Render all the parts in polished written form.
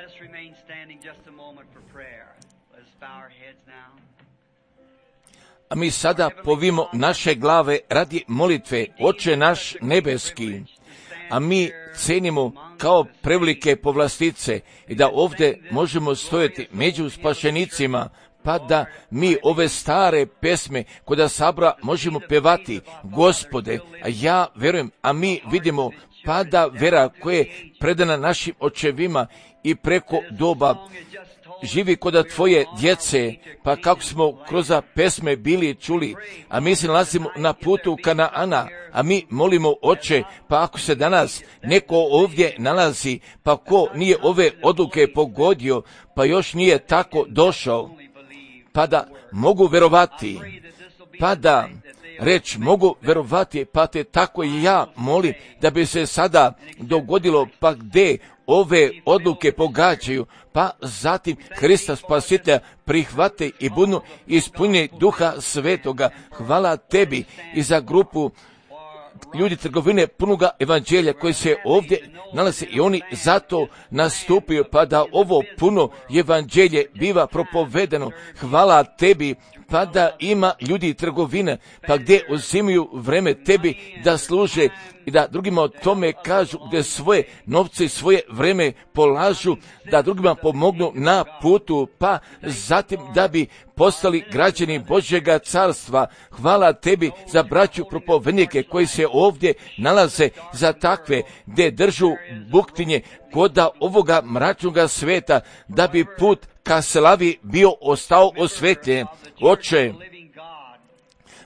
us remain standing just a moment for prayer. Let's bow our heads now. A mi sada povimo naše glave radi molitve, Oče naš nebeski, a mi cenimo kao prevelike povlastice i da ovdje možemo stojati među spašenicima, pa da mi ove stare pesme koda sabora možemo pevati, Gospode, a ja verujem, a mi vidimo pada vera koja je predana našim očevima i preko doba živi koda tvoje djece, pa kako smo kroz pesme bili čuli, a mi se nalazimo na putu Kanaana, a mi molimo, Oče, pa ako se danas neko ovdje nalazi, pa ko nije ove odluke pogodio, pa još nije tako došao, pa da mogu verovati, pa da reći mogu verovati, pa te tako i ja molim da bi se sada dogodilo, pa gdje ove odluke pogađaju, pa zatim Hrista Spasitelja prihvate i budu ispunjeni Duha Svetoga. Hvala tebi i za grupu ljudi trgovine punoga evanđelja koji se ovdje nalaze i oni zato nastupaju, pa da ovo puno evanđelje biva propovedeno. Hvala tebi, pa da ima ljudi trgovine, pa gdje uzimaju vreme tebi da služe i da drugima o tome kažu, gdje svoje novce i svoje vreme polažu, da drugima pomognu na putu, pa zatim da bi postali građani Božjega carstva. Hvala tebi za braću propovednike koji se ovdje nalaze, za takve gdje držu buktinje koda ovoga mračnoga sveta, da bi put ka slavi bio ostao osvetljen. Oče,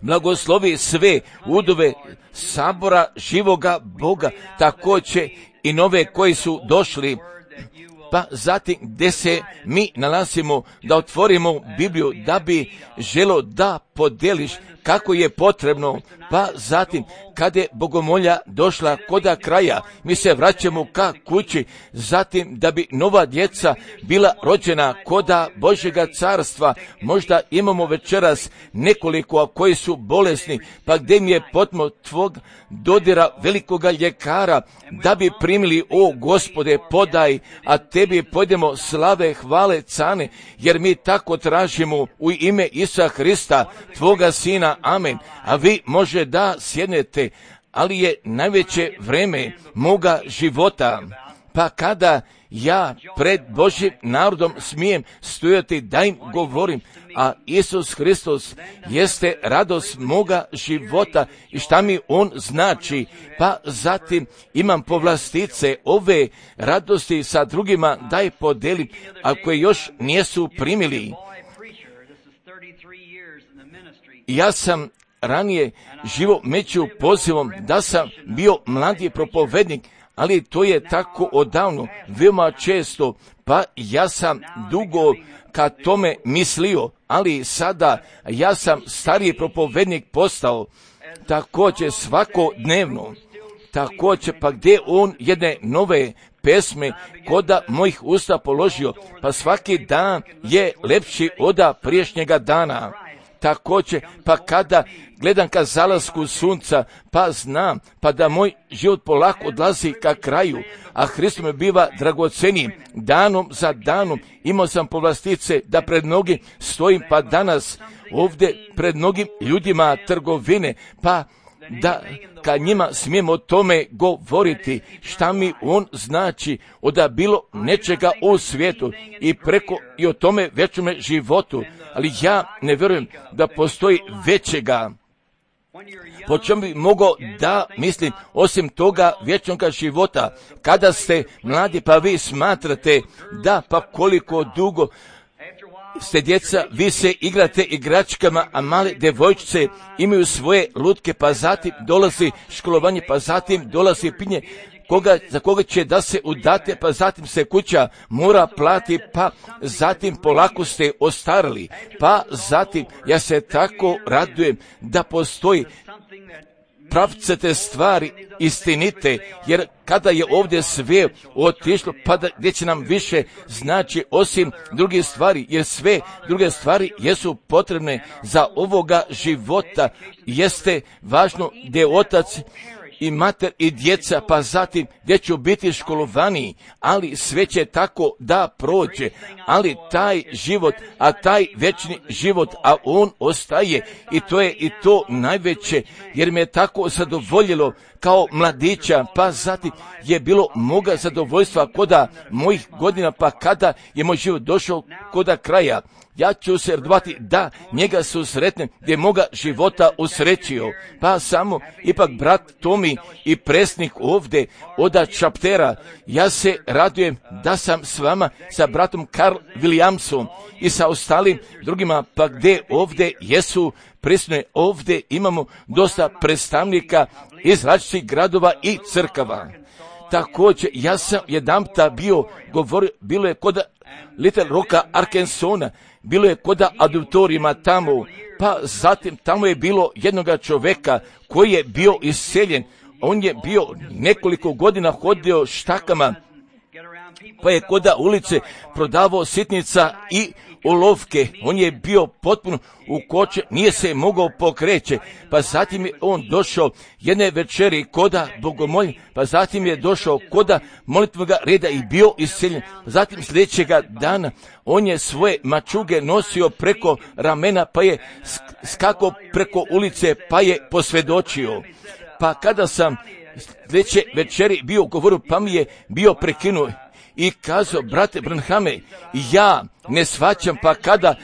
blagoslovi sve udove sabora živoga Boga, također i nove koji su došli, pa zatim gdje se mi nalazimo, da otvorimo Bibliju, da bi želo da podeliš kako je potrebno, pa zatim kada je bogomolja došla koda kraja, mi se vraćamo ka kući, zatim da bi nova djeca bila rođena koda Božjega carstva. Možda imamo večeras nekoliko koji su bolesni, pa gdje mi je potmo tvog dodira velikoga ljekara, da bi primili, o Gospode, podaj, a tebi pojdemo slave, hvale, cane, jer mi tako tražimo u ime Isusa Hrista, tvoga Sina, amen. A vi može da sjednete, ali je najveće vreme moga života, pa kada ja pred Božjim narodom smijem stojati da im govorim, a Isus Hristos jeste radost moga života i šta mi On znači, pa zatim imam povlastice ove radosti sa drugima da je podelim, ako je još nijesu primili. Ja sam ranije živo među pozivom da sam bio mladi propovednik, ali to je tako odavno, veoma često, pa ja sam dugo ka tome mislio, ali sada ja sam stariji propovednik postao, također svakodnevno, također pa gdje on jedne nove pesme koda mojih usta položio, pa svaki dan je lepši od priješnjega dana. Također, pa kada gledam ka zalasku sunca, pa znam, pa da moj život polako odlazi ka kraju, a Hristos me biva dragoceniji danom za danom. Imao sam povlastice da pred mnogim stojim, pa danas ovdje pred mnogim ljudima trgovine, pa da kad njima smijemo o tome govoriti, šta mi on znači, da bilo nečega u svijetu i preko i o tome večnome životu, ali ja ne vjerujem da postoji većega. Po čemu bi mogao da mislim osim toga vječnoga života? Kada ste mladi pa vi smatrate da pa koliko dugo ste djeca, vi se igrate igračkama, a male devojčice imaju svoje lutke, pa zatim dolazi školovanje, pa zatim dolazi pinje, za koga će da se udate, pa zatim se kuća mora plati, pa zatim polako ste ostarili, pa zatim ja se tako radujem da postoji pravcete stvari istinite, jer kada je ovdje sve otišlo, pa da, gdje će nam više znači osim drugih stvari, jer sve druge stvari jesu potrebne za ovoga života, jeste važno gdje otac i mater i djeca, pa zatim gdje ću biti školovani, ali sve će tako da prođe, ali taj život, a taj večni život, a on ostaje, i to je i to najveće, jer me je tako zadovoljilo kao mladića, pa zatim je bilo moga zadovoljstva koda mojih godina, pa kada je moj život došao koda kraja, ja ću se radovati da njega susretnem gdje moga života usrećio. Pa samo ipak brat Tomi i presnik ovdje od Čaptera, ja se radujem da sam s vama, sa bratom Karl Williamsom i sa ostalim drugima, pa gdje ovdje jesu prisutne. Ovdje imamo dosta predstavnika iz različitih gradova i crkava. Također, ja sam jedanputa bio govorio, bilo je kod Little Rocka, Arkansasa, bilo je kod auditorijima tamo, pa zatim tamo je bilo jednoga čovjeka koji je bio iseljen. On je bio nekoliko godina hodio štakama, pa je kod ulice prodavao sitnica i olovke. On je bio potpuno ukočen, nije se mogao pokreće, pa zatim je on došao jedne večeri koda bogomolja, pa zatim je došao koda molitvoga reda i bio iseljen. Zatim sljedećega dana on je svoje mačuge nosio preko ramena, pa je skakao preko ulice, pa je posvjedočio. Pa kada sam sljedeće večeri bio govorio, pa mi je bio prekinuo i kazao, brate Branhame, ja ne shvaćam, pa kada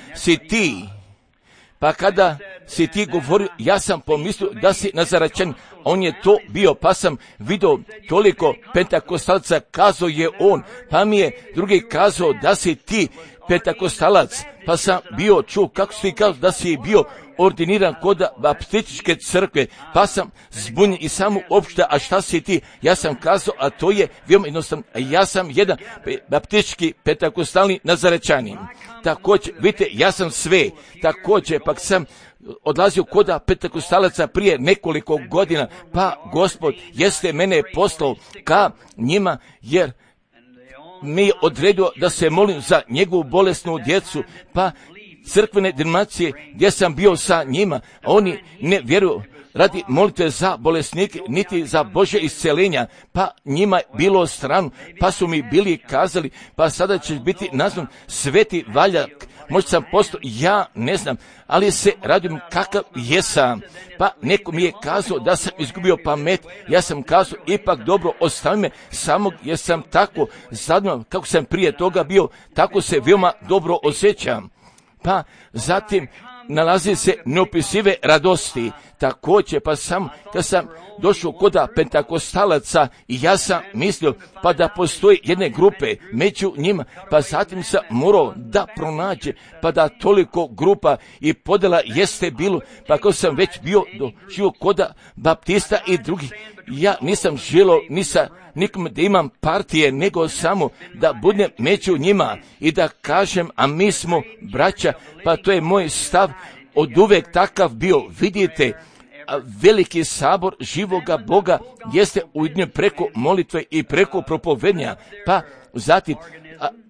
si ti govorio, ja sam pomislio da si Nazaračan. On je to bio, pa sam vidio toliko pentakostalaca, kazao je on, pa mi je drugi kazao da si ti pentakostalac, pa sam bio čuo kako si kazao da si bio ordiniran kod baptističke crkve, pa sam zbunjen i samo opšte, a šta si ti? Ja sam kazao, a to je veoma jednostavno, ja sam jedan baptistički pentakostalni Nazarečanin. Također, vidite, ja sam sve, također, pak sam odlazio kod pentakostalaca prije nekoliko godina, pa Gospod jeste mene poslao ka njima, jer mi je odredio da se molim za njegovu bolesnu djecu, pa crkvene denominacije gdje sam bio sa njima, oni ne vjeruju radi molitve za bolesnike, niti za Božje isceljenja, pa njima je bilo strano, pa su mi bili kazali, pa sada će biti nazvan Sveti Valjak, možda sam postao, ja ne znam, ali se radim kakav jesam. Pa neko mi je kazao da sam izgubio pamet, ja sam kazao, ipak dobro, ostavi me samog, jer sam tako zadnjo, kako sam prije toga bio, tako se veoma dobro osjećam. Pa zatim nalazi se neopisive radosti. Također, pa sam, kad sam došao kod pentakostalaca i ja sam mislio pa da postoji jedne grupe među njima, pa zatim sam morao da pronađe, pa da toliko grupa i podjela jeste bilo, pa kao sam već bio doživio kod baptista i drugih, ja nisam želio ni sa nikom da imam partije, nego samo da budem među njima i da kažem, a mi smo braća, pa to je moj stav od uvek takav bio. Vidite, veliki sabor živoga Boga jeste ujedinjen preko molitve i preko propovednja, pa zatim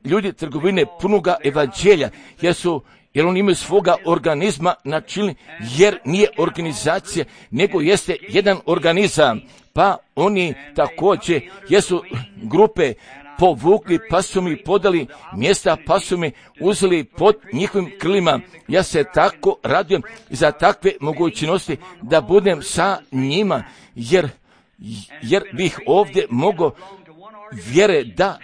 ljudi trgovine punoga evanđelja, jer oni imaju svoga organizma načinili, jer nije organizacija, nego jeste jedan organizam, pa oni također jesu grupe povukli, pa su mi podali mjesta, pa su mi uzeli pod njihovim krilima. Ja se tako radujem za takve mogućnosti da budem sa njima, jer bih ovdje mogao vjere da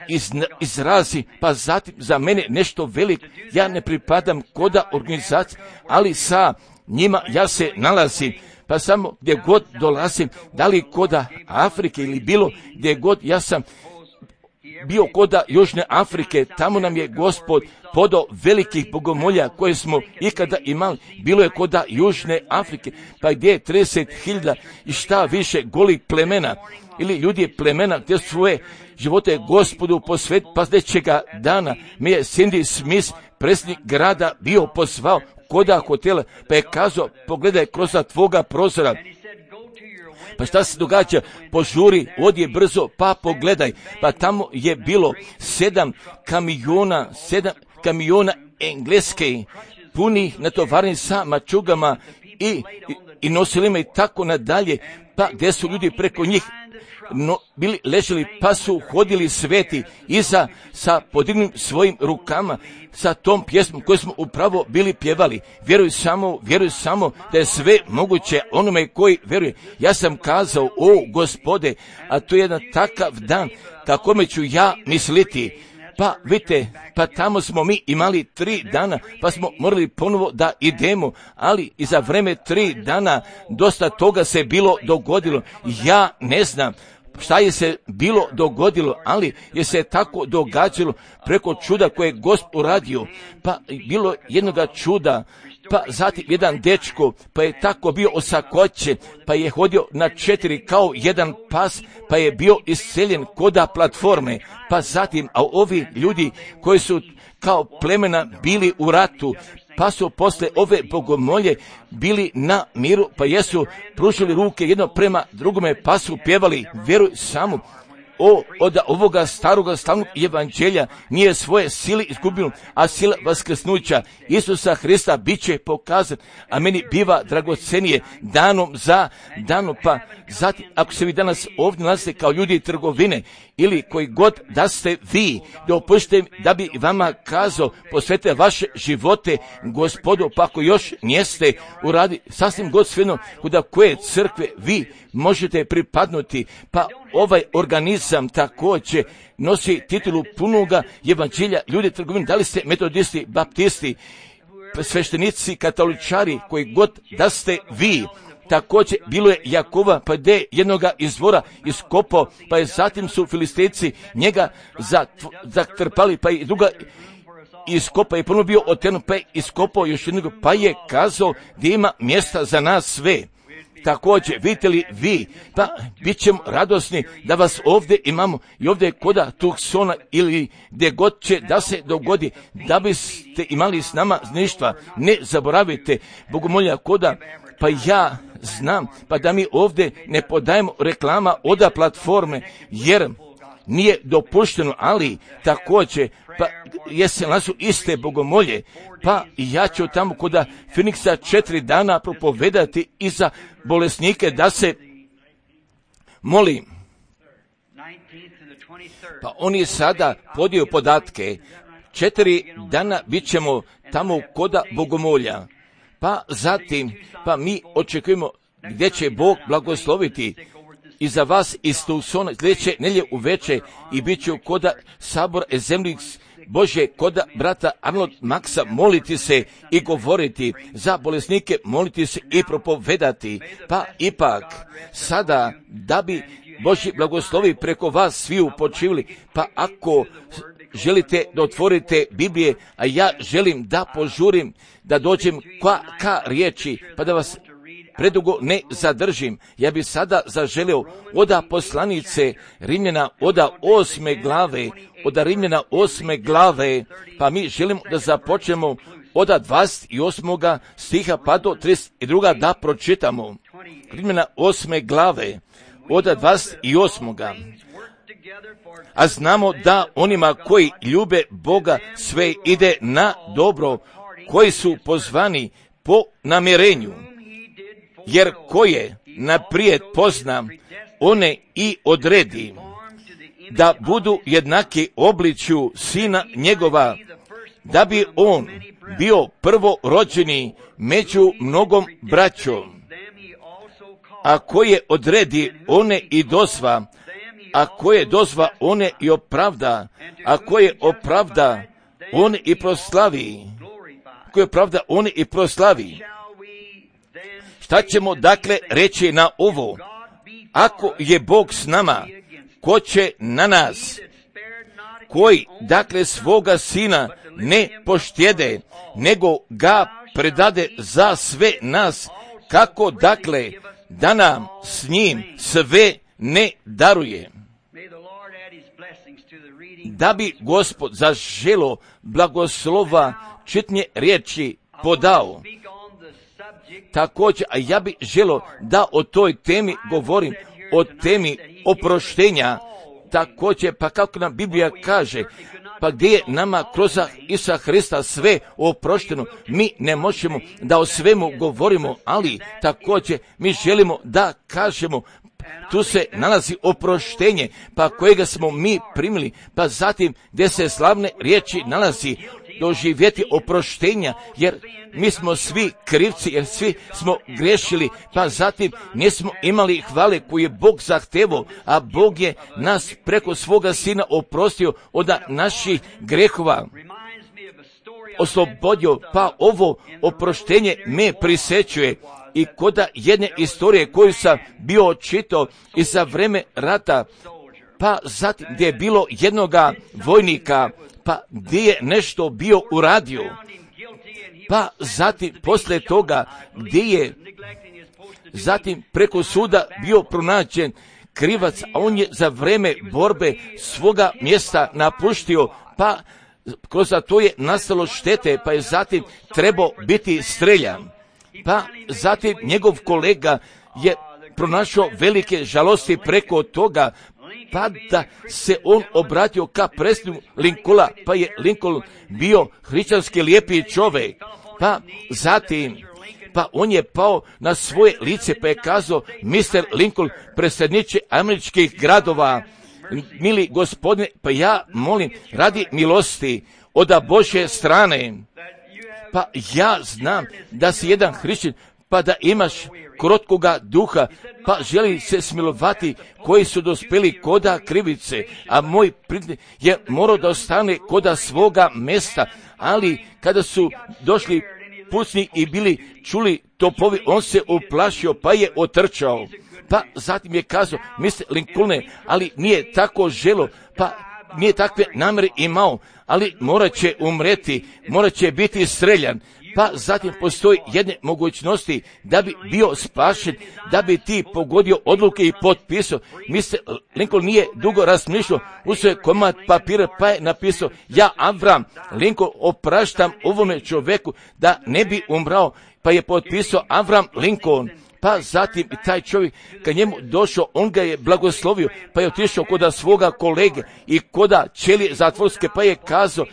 izrazi, pa zatim za mene nešto veliko. Ja ne pripadam koda organizacije, ali sa njima ja se nalazim. Pa samo gdje god dolazim, da li koda Afrike ili bilo gdje god, ja sam bio koda Južne Afrike, tamo nam je Gospod podao velikih bogomolja koje smo ikada imali, bilo je koda Južne Afrike, pa gdje je 30.000 i šta više golih plemena, ili ljudi plemena gdje svoje živote Gospodu posvet, pa sljedećega dana mi je Cindy Smith, predsjednik grada, bio pozvao koda hotela, pa je kazao, pogledaj kroz tvoga prozora. Pa šta se događa? Požuri, odi brzo, pa pogledaj. Pa tamo je bilo 7 kamiona engleske, punih natovarnih sa mačugama i nosili me i tako nadalje, pa gdje su ljudi preko njih bili leželi, pa su hodili sveti iza sa podignutim svojim rukama, sa tom pjesmom koju smo upravo bili pjevali. Vjeruj samo da je sve moguće onome koji vjeruje. Ja sam kazao, o Gospode, a to je jedan takav dan kako me ću ja misliti. Pa vidite, pa tamo smo mi imali 3 dana, pa smo morali ponovo da idemo, ali i za vreme 3 dana dosta toga se bilo dogodilo. Ja ne znam šta je se bilo dogodilo, ali je se tako događalo preko čuda koje je Gospod uradio. Pa bilo jednoga čuda, pa zatim jedan dečko, pa je tako bio osakoćen, pa je hodio na 4 kao jedan pas, pa je bio isceljen koda platforme, pa zatim, a ovi ljudi koji su kao plemena bili u ratu, pa su posle ove bogomolje bili na miru, pa jesu pružili ruke jedno prema drugome, pa su pjevali, vjeruj samo, od ovoga staroga slavnog evanđelja nije svoje sile izgubilo, a sila vaskrsnuća Isusa Hrista bit će pokazan, a meni biva dragocenije danom za danom. Pa zatim, ako se vi danas ovdje nalazite kao ljudi trgovine ili koji god da ste vi, dopustite da bi vama kazao, posvetite vaše živote Gospodu, pa ako još nijeste uradi sasvim Gospodino kuda koje crkve vi možete pripadnuti, pa ovaj organizam također nosi titulu punoga evanđelja ljudi trgovine. Da li ste metodisti, baptisti, sveštenici, katoličari, koji god da ste vi, također bilo je Jakova, pa je jednoga izvora iskopao, pa je zatim su Filistejci njega zatrpali, pa i druga iskopao, je ponovno bio oteran, pa je iskopao još jednog, pa je kazao da ima mjesta za nas sve. Također, vidite li vi, pa bit ćemo radosni da vas ovdje imamo i ovdje koda Tucsona ili gdje god će da se dogodi, da biste imali s nama ništa. Ne zaboravite, bogomolja koda, pa ja znam, pa da mi ovdje ne podajemo reklama oda platforme, jer nije dopušteno, ali također, pa jesen nasu iste bogomolje, pa ja ću tamo koda Finiksa 4 dana propovedati i za bolesnike da se molim. Pa oni sada podiju podatke, 4 dana bit ćemo tamo koda bogomolja, pa zatim, pa mi očekujemo gdje će Bog blagosloviti i za vas iz Tucsona sljedeće nedjelje uveče i bit ću koda sabor Zemlji Bože, koda brata Arnold Maxa moliti se i govoriti za bolesnike, moliti se i propovedati. Pa ipak sada da bi Božji blagoslovi preko vas svi upočivili, pa ako želite da otvorite Biblije, a ja želim da požurim, da dođem ka riječi, pa da vas predugo ne zadržim. Ja bi sada zaželio oda poslanice Rimljana, oda 8. glave, pa mi želimo da započnemo oda 28. stiha pa do 32. da pročitamo. Rimljana 8. glave, oda 28. A znamo da onima koji ljube Boga sve ide na dobro, koji su pozvani po namjerenju. Jer koje naprijed pozna, one i odredi, da budu jednaki obličju sina njegova, da bi on bio prvorođeni među mnogom braćom. A koje odredi, one i dozva, a koje dozva, one i opravda, a koje opravda, one i proslavi, koje opravda, one i proslavi. Šta ćemo dakle reći na ovo? Ako je Bog s nama, ko će na nas? Koji dakle svoga sina ne poštjede, nego ga predade za sve nas, kako dakle da nam s njim sve ne daruje? Da bi Gospod zaželo blagoslova čitanje riječi podao. Također, a ja bih želio da o toj temi govorim, o temi oproštenja, također, pa kako nam Biblija kaže, pa gdje je nama kroz Isusa Hrista sve oprošteno, mi ne možemo da o svemu govorimo, ali također mi želimo da kažemo, tu se nalazi oproštenje, pa kojega smo mi primili, pa zatim gdje se slavne riječi nalazi, doživjeti oproštenja, jer mi smo svi krivci, jer svi smo grešili, pa zatim nismo imali hvale koju je Bog zahtevao, a Bog je nas preko svoga Sina oprostio od naših grehova, oslobodio, pa ovo oproštenje me prisećuje. I koda jedne istorije koju sam bio čitao i za vreme rata, pa zatim gdje je bilo jednoga vojnika, pa gdje je nešto bio uradio, pa zatim poslije toga gdje je zatim preko suda bio pronađen krivac, a on je za vreme borbe svoga mjesta napuštio, pa kroz to je nastalo štete, pa je zatim trebao biti streljan. Pa zatim njegov kolega je pronašao velike žalosti preko toga, pa da se on obratio ka predsjedniku Lincolna, pa je Lincoln bio hrišćanski lijepi čovjek, pa zatim pa on je pao na svoje lice, pa je kazao: Mr. Lincoln, predsjedniče američkih gradova, mili gospodine, pa ja molim radi milosti od Božje strane, pa ja znam da si jedan hrišćanin, pa da imaš krotkoga duha, pa želi se smilovati koji su dospjeli koda krivice, a moj prijatelj je morao da ostane koda svoga mjesta, ali kada su došli pucnji i bili čuli topovi, on se uplašio, pa je otrčao. Pa zatim je kazao: Mr. Lincolne, ali nije tako želo, pa nije takve namjere imao, ali morat će umreti, morat će biti streljan. Pa zatim postoji jedne mogućnosti da bi bio spašen, da bi ti pogodio odluke i potpisao. Mr. Lincoln nije dugo razmišljao, uzeo je komad papira pa je napisao: ja, Abraham Lincoln, opraštam ovome čovjeku da ne bi umrao, pa je potpisao Abraham Lincoln. Pa zatim taj čovjek kad njemu došao, on ga je blagoslovio, pa je otišao koda svoga kolege i koda ćelije zatvorske, pa je kazao: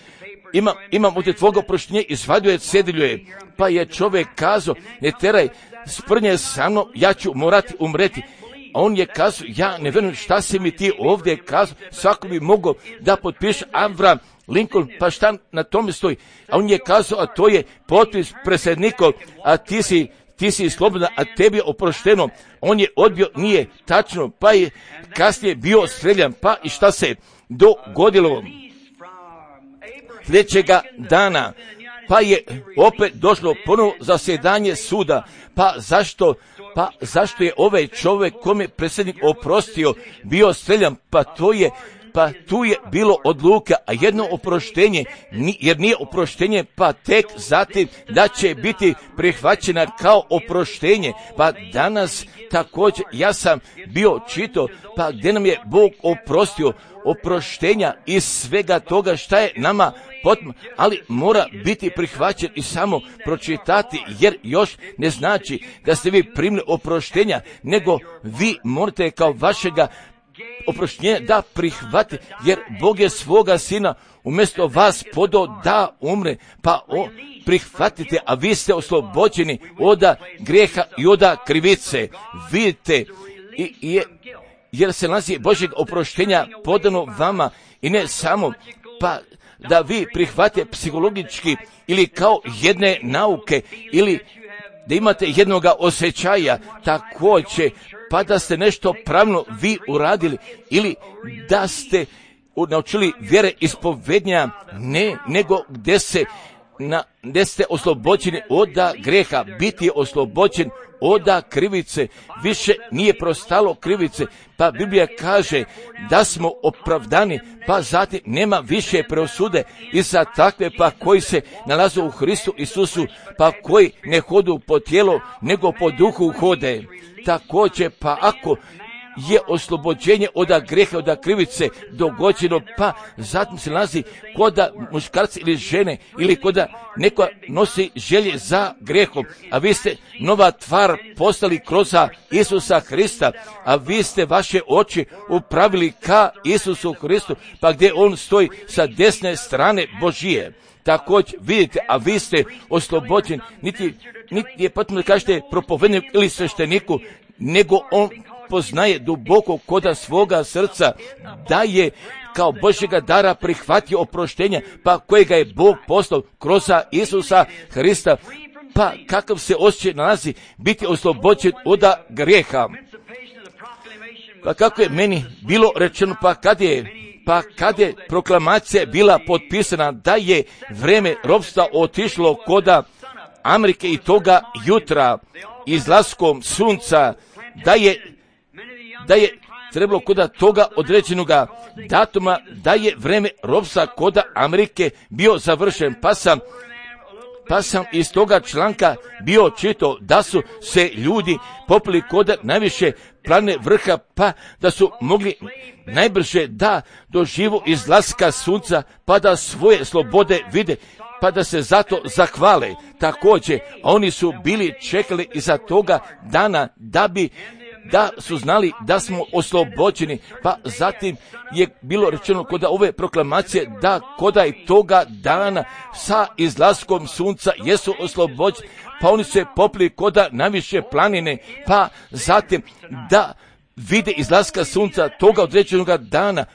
imam od tvoga oproštenje, izvadio je cedilje. Pa je čovjek kazao: ne teraj sprnje sa mnom, ja ću morati umreti. A on je kazao: ja ne vjerujem šta si mi ti ovdje kazao, svako bi mogao da potpiše Abraham Lincoln, pa šta na tome stoji? A on je kazao: a to je potpis predsjednikov, a ti si slobodan, a tebi je oprošteno. On je odbio, nije tačno, pa je kasnije bio streljan. Pa i šta se dogodilo? Sljedećega dana, pa je opet došlo ponovo zasjedanje suda. Pa zašto je ovaj čovjek kome predsjednik oprostio bio streljan? Pa tu je bilo odluka, a jedno oproštenje, jer nije oproštenje, pa tek zatim da će biti prihvaćena kao oproštenje. Pa danas također ja sam bio čitao, pa gdje nam je Bog oprostio oproštenja iz svega toga šta je nama potrebno, ali mora biti prihvaćen i samo pročitati, jer još ne znači da ste vi primili oproštenja, nego vi morate kao vašega oproštenje da prihvati, jer Bog je svoga Sina umjesto vas podao da umre, pa prihvatite, a vi ste oslobođeni od grijeha i od krivice. Vidite, jer se nalazi Božjeg oproštenja podano vama, i ne samo pa da vi prihvatite psihologički ili kao jedne nauke, ili da imate jednoga osjećaja također, pa da ste nešto pravno vi uradili, ili da ste naučili vjere ispovednja, ne, nego gdje ste oslobođeni od grijeha. Biti je oslobođen od krivice, više nije prostalo krivice, pa Biblija kaže da smo opravdani, pa zatim nema više preosude i za takve pa koji se nalaze u Hristu Isusu, pa koji ne hodu po tijelu, nego po duhu hode. Također, pa ako je oslobođenje od greha, od krivice dogođeno, pa zatim se nalazi koda muškarca ili žene, ili koda neko nosi želje za grehom, a vi ste nova tvar postali kroz Isusa Hrista, a vi ste vaše oči upravili ka Isusu Hristu, pa gdje on stoji sa desne strane Božije. Također vidite, a vi ste oslobođeni, niti je potrebno da kažete propovedniku ili svešteniku, nego on poznaje duboko koda svoga srca da je kao Božjega dara prihvatio oproštenja, pa kojega je Bog poslao kroz Isusa Hrista, pa kakav se osjećaj nalazi biti oslobođen od grijeha. Pa kako je meni bilo rečeno, pa kad je proklamacija bila potpisana da je vreme ropstva otišlo koda Amerike i toga jutra izlaskom sunca, da je trebalo koda toga određenoga datuma, da je vreme ropstva koda Amerike bio završen, pa sam iz toga članka bio čitao da su se ljudi popili koda najviše planine vrha, pa da su mogli najbrže da doživu izlaska sunca, pa da svoje slobode vide, pa da se zato zahvale. Također, oni su bili čekali iza toga dana da su znali da smo oslobođeni, pa zatim je bilo rečeno koda ove proklamacije da koda i toga dana sa izlaskom sunca jesu oslobođeni, pa oni se popli koda najviše planine, pa zatim da vide izlaska sunca toga određenog dana.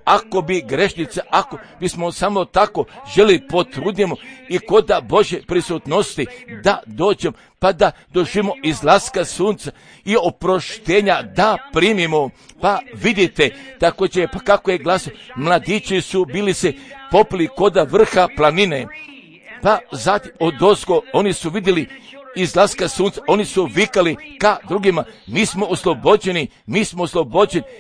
Ako bi grešnice, ako bismo samo tako želi potrudimo i koda Božje prisutnosti da dođemo, pa da doživimo izlaska sunca i oproštenja da primimo. Pa vidite, također, pa kako je glasio, mladići su bili se popili koda vrha planine, pa zatim odozgo oni su vidjeli izlaska sunca, oni su vikali ka drugima, mi smo oslobođeni,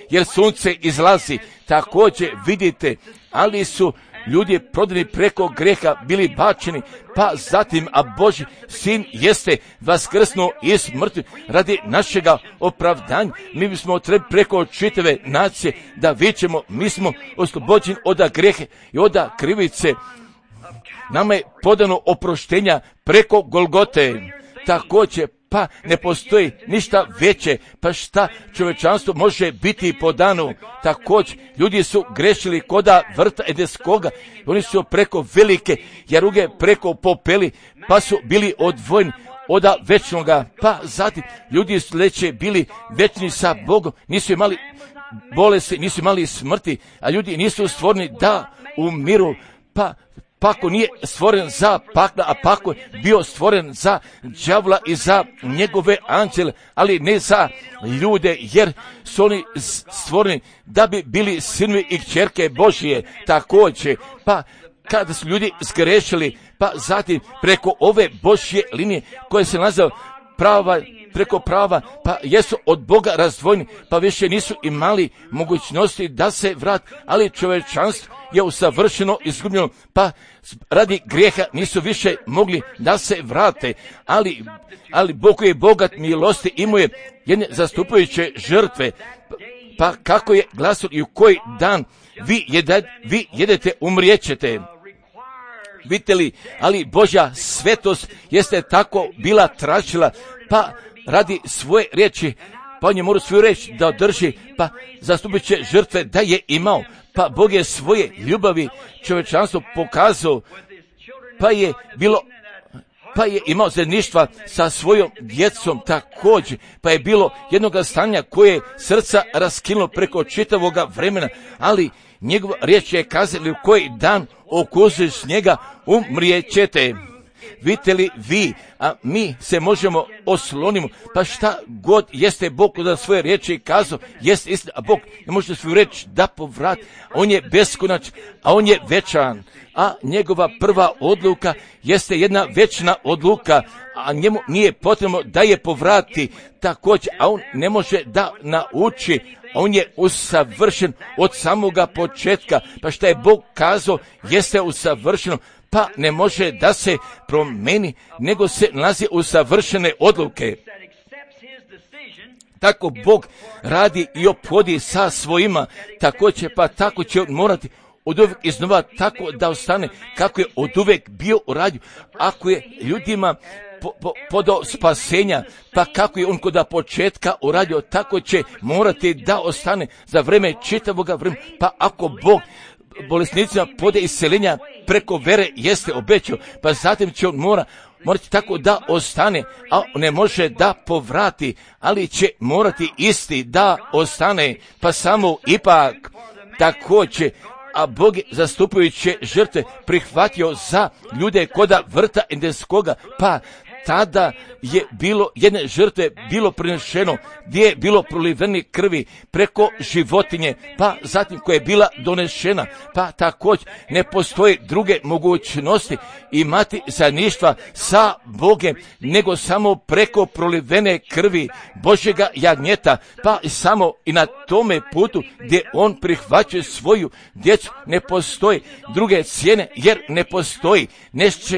jer sunce izlazi. Također vidite, ali su ljudi prodani preko greha bili bačeni, pa zatim, a Božji sin jeste vaskrsnuo iz mrtvih radi našega opravdanja. Mi bismo trebali preko čitave nacije da vičemo, mi smo oslobođeni od grehe i od krivice. Nama je podano oproštenja preko Golgote. Također, pa ne postoji ništa veće, pa šta čovječanstvo može biti po danu. Također, ljudi su grešili koda vrta Edenskoga, oni su preko velike jaruge preko popeli, pa su bili odvojeni od večnoga, pa zatim ljudi su bili večni sa Bogom, nisu imali bolesti, nisu imali smrti, a ljudi nisu stvoreni da umiru, pa Pako nije stvoren za pakla, a pako je bio stvoren za đavla i za njegove anđele, ali ne za ljude, jer su oni stvoreni da bi bili sinovi i kćerke Božije. Također, pa kada su ljudi zgrešili, pa zatim preko ove Božje linije koje se nazva preko prava, pa jesu od Boga razdvojeni, pa više nisu imali mogućnosti da se vrati, ali čovječanstvo je usavršeno izgubljeno, pa radi grijeha nisu više mogli da se vrate, ali Bog koji je bogat milosti imuje jedne zastupajuće žrtve, pa kako je glasio i u koji dan vi jedete, umrijećete. Vidite li, ali Božja svetost jeste tako bila tražila, pa radi svoje riječi, pa on je morao svoju riječ da održi, pa zastupiće žrtve da je imao, pa Bog je svoje ljubavi čovječanstvo pokazao, pa je imao zajedništva sa svojom djecom također, pa je bilo jednoga stanja koje je srca raskinulo preko čitavoga vremena, ali njegova riječ je kazala u koji dan okusiš njega umrijećete. Vidite li vi, a mi se možemo oslonimo, pa šta god jeste Bog da svoje riječi kazao, jeste istina, a Bog ne može svoju riječ da povrati, on je beskonačan, a on je večan, a njegova prva odluka jeste jedna večna odluka, a njemu nije potrebno da je povrati također, a on ne može da nauči, on je usavršen od samoga početka, pa šta je Bog kazao jeste usavršeno, pa ne može da se promeni, nego se nalazi u savršene odluke. Tako Bog radi i ophodi sa svojima, također pa tako će on morati od uvijek iznova tako da ostane kako je od uvijek bio uradio. Ako je ljudima podao spasenja, pa kako je on kod početka uradio, tako će morati da ostane za vreme čitavoga vremena. Pa ako Bog bolesnicima pode isceljenja preko vere jeste obećao, pa zatim će on morati tako da ostane, a ne može da povrati, ali će morati isti da ostane, pa samo ipak također, a Bog je zastupujuće žrtve prihvatio za ljude koda vrta Edenskoga, pa tada je bilo jedne žrtve bilo prinešeno gdje je bilo proliveni krvi preko životinje, pa zatim koja je bila donešena, pa također ne postoje druge mogućnosti imati zajedništva sa Bogem nego samo preko prolivene krvi Božjega jagnjeta, pa samo i na tome putu gdje on prihvaća svoju djecu ne postoji druge cijene, jer ne postoji nešto,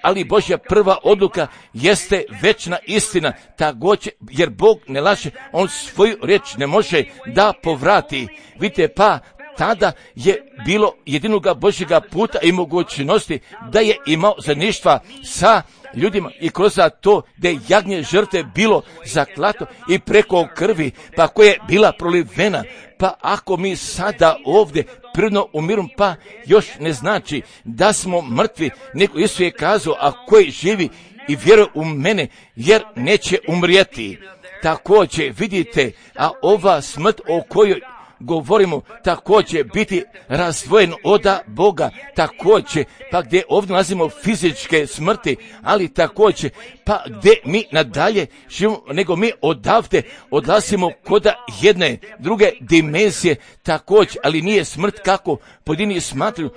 ali Božja prva odluka jeste večna istina, također, jer Bog ne laže, on svoju riječ ne može da povrati. Vidite, pa tada je bilo jedinoga Božjega puta i mogućnosti da je imao zajedništva sa ljudima i kroz to da je jagnje žrtve bilo zaklato i preko krvi, pa koja je bila prolivena. Pa ako mi sada ovdje prvno umirom, pa još ne znači da smo mrtvi, nego Isus je kazao, a koji živi i vjeruje u mene, jer neće umrijeti. Također vidite, a ova smrt o kojoj govorimo također biti razdvojen od Boga, također, pa gdje ovdje nalazimo fizičke smrti, ali također, pa gdje mi nadalje živimo, nego mi odavde odlazimo kod jedne druge dimenzije, također, ali nije smrt kako pojedini smatruju,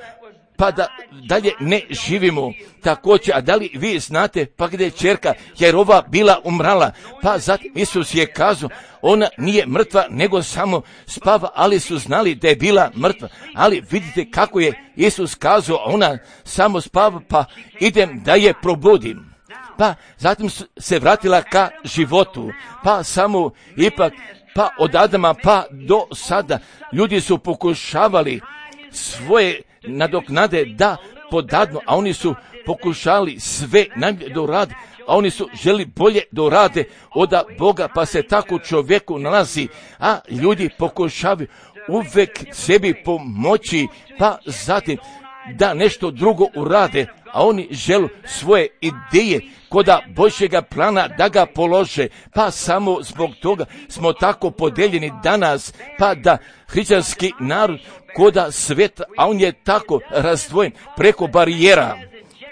pa da dalje ne živimo također. A da li vi znate pa gdje je ćerka Jerova bila umrala, pa zatim Isus je kazao, ona nije mrtva nego samo spava, ali su znali da je bila mrtva. Ali vidite kako je Isus kazao, ona samo spava, pa idem da je probudim. Pa zatim se vratila ka životu, pa samo ipak, pa od Adama pa do sada ljudi su pokušavali svoje nadoknade da podadnu, a oni su pokušali sve najbolje da urade, a oni su želi bolje da urade od Boga, pa se tako čovjeku nalazi, a ljudi pokušavaju uvijek sebi pomoći, pa zatim da nešto drugo urade, a oni žele svoje ideje koda Božjega plana da ga polože, pa samo zbog toga smo tako podeljeni danas, pa da hrišćanski narod koda sveta, a on je tako razdvojen preko barijera,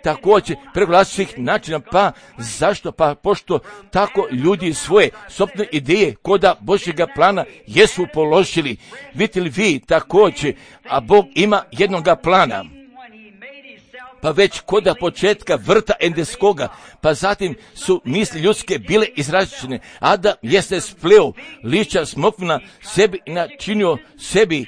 također preko različitih načina, pa zašto? Pa pošto tako ljudi svoje sopstvene ideje koda Božjega plana jesu položili. Vidite li vi također, a Bog ima jednoga plana, pa već koda početka vrta Edenskoga, pa zatim su misli ljudske bile izražene. Adam jeste spleo liča smokvina sebi i načinio sebi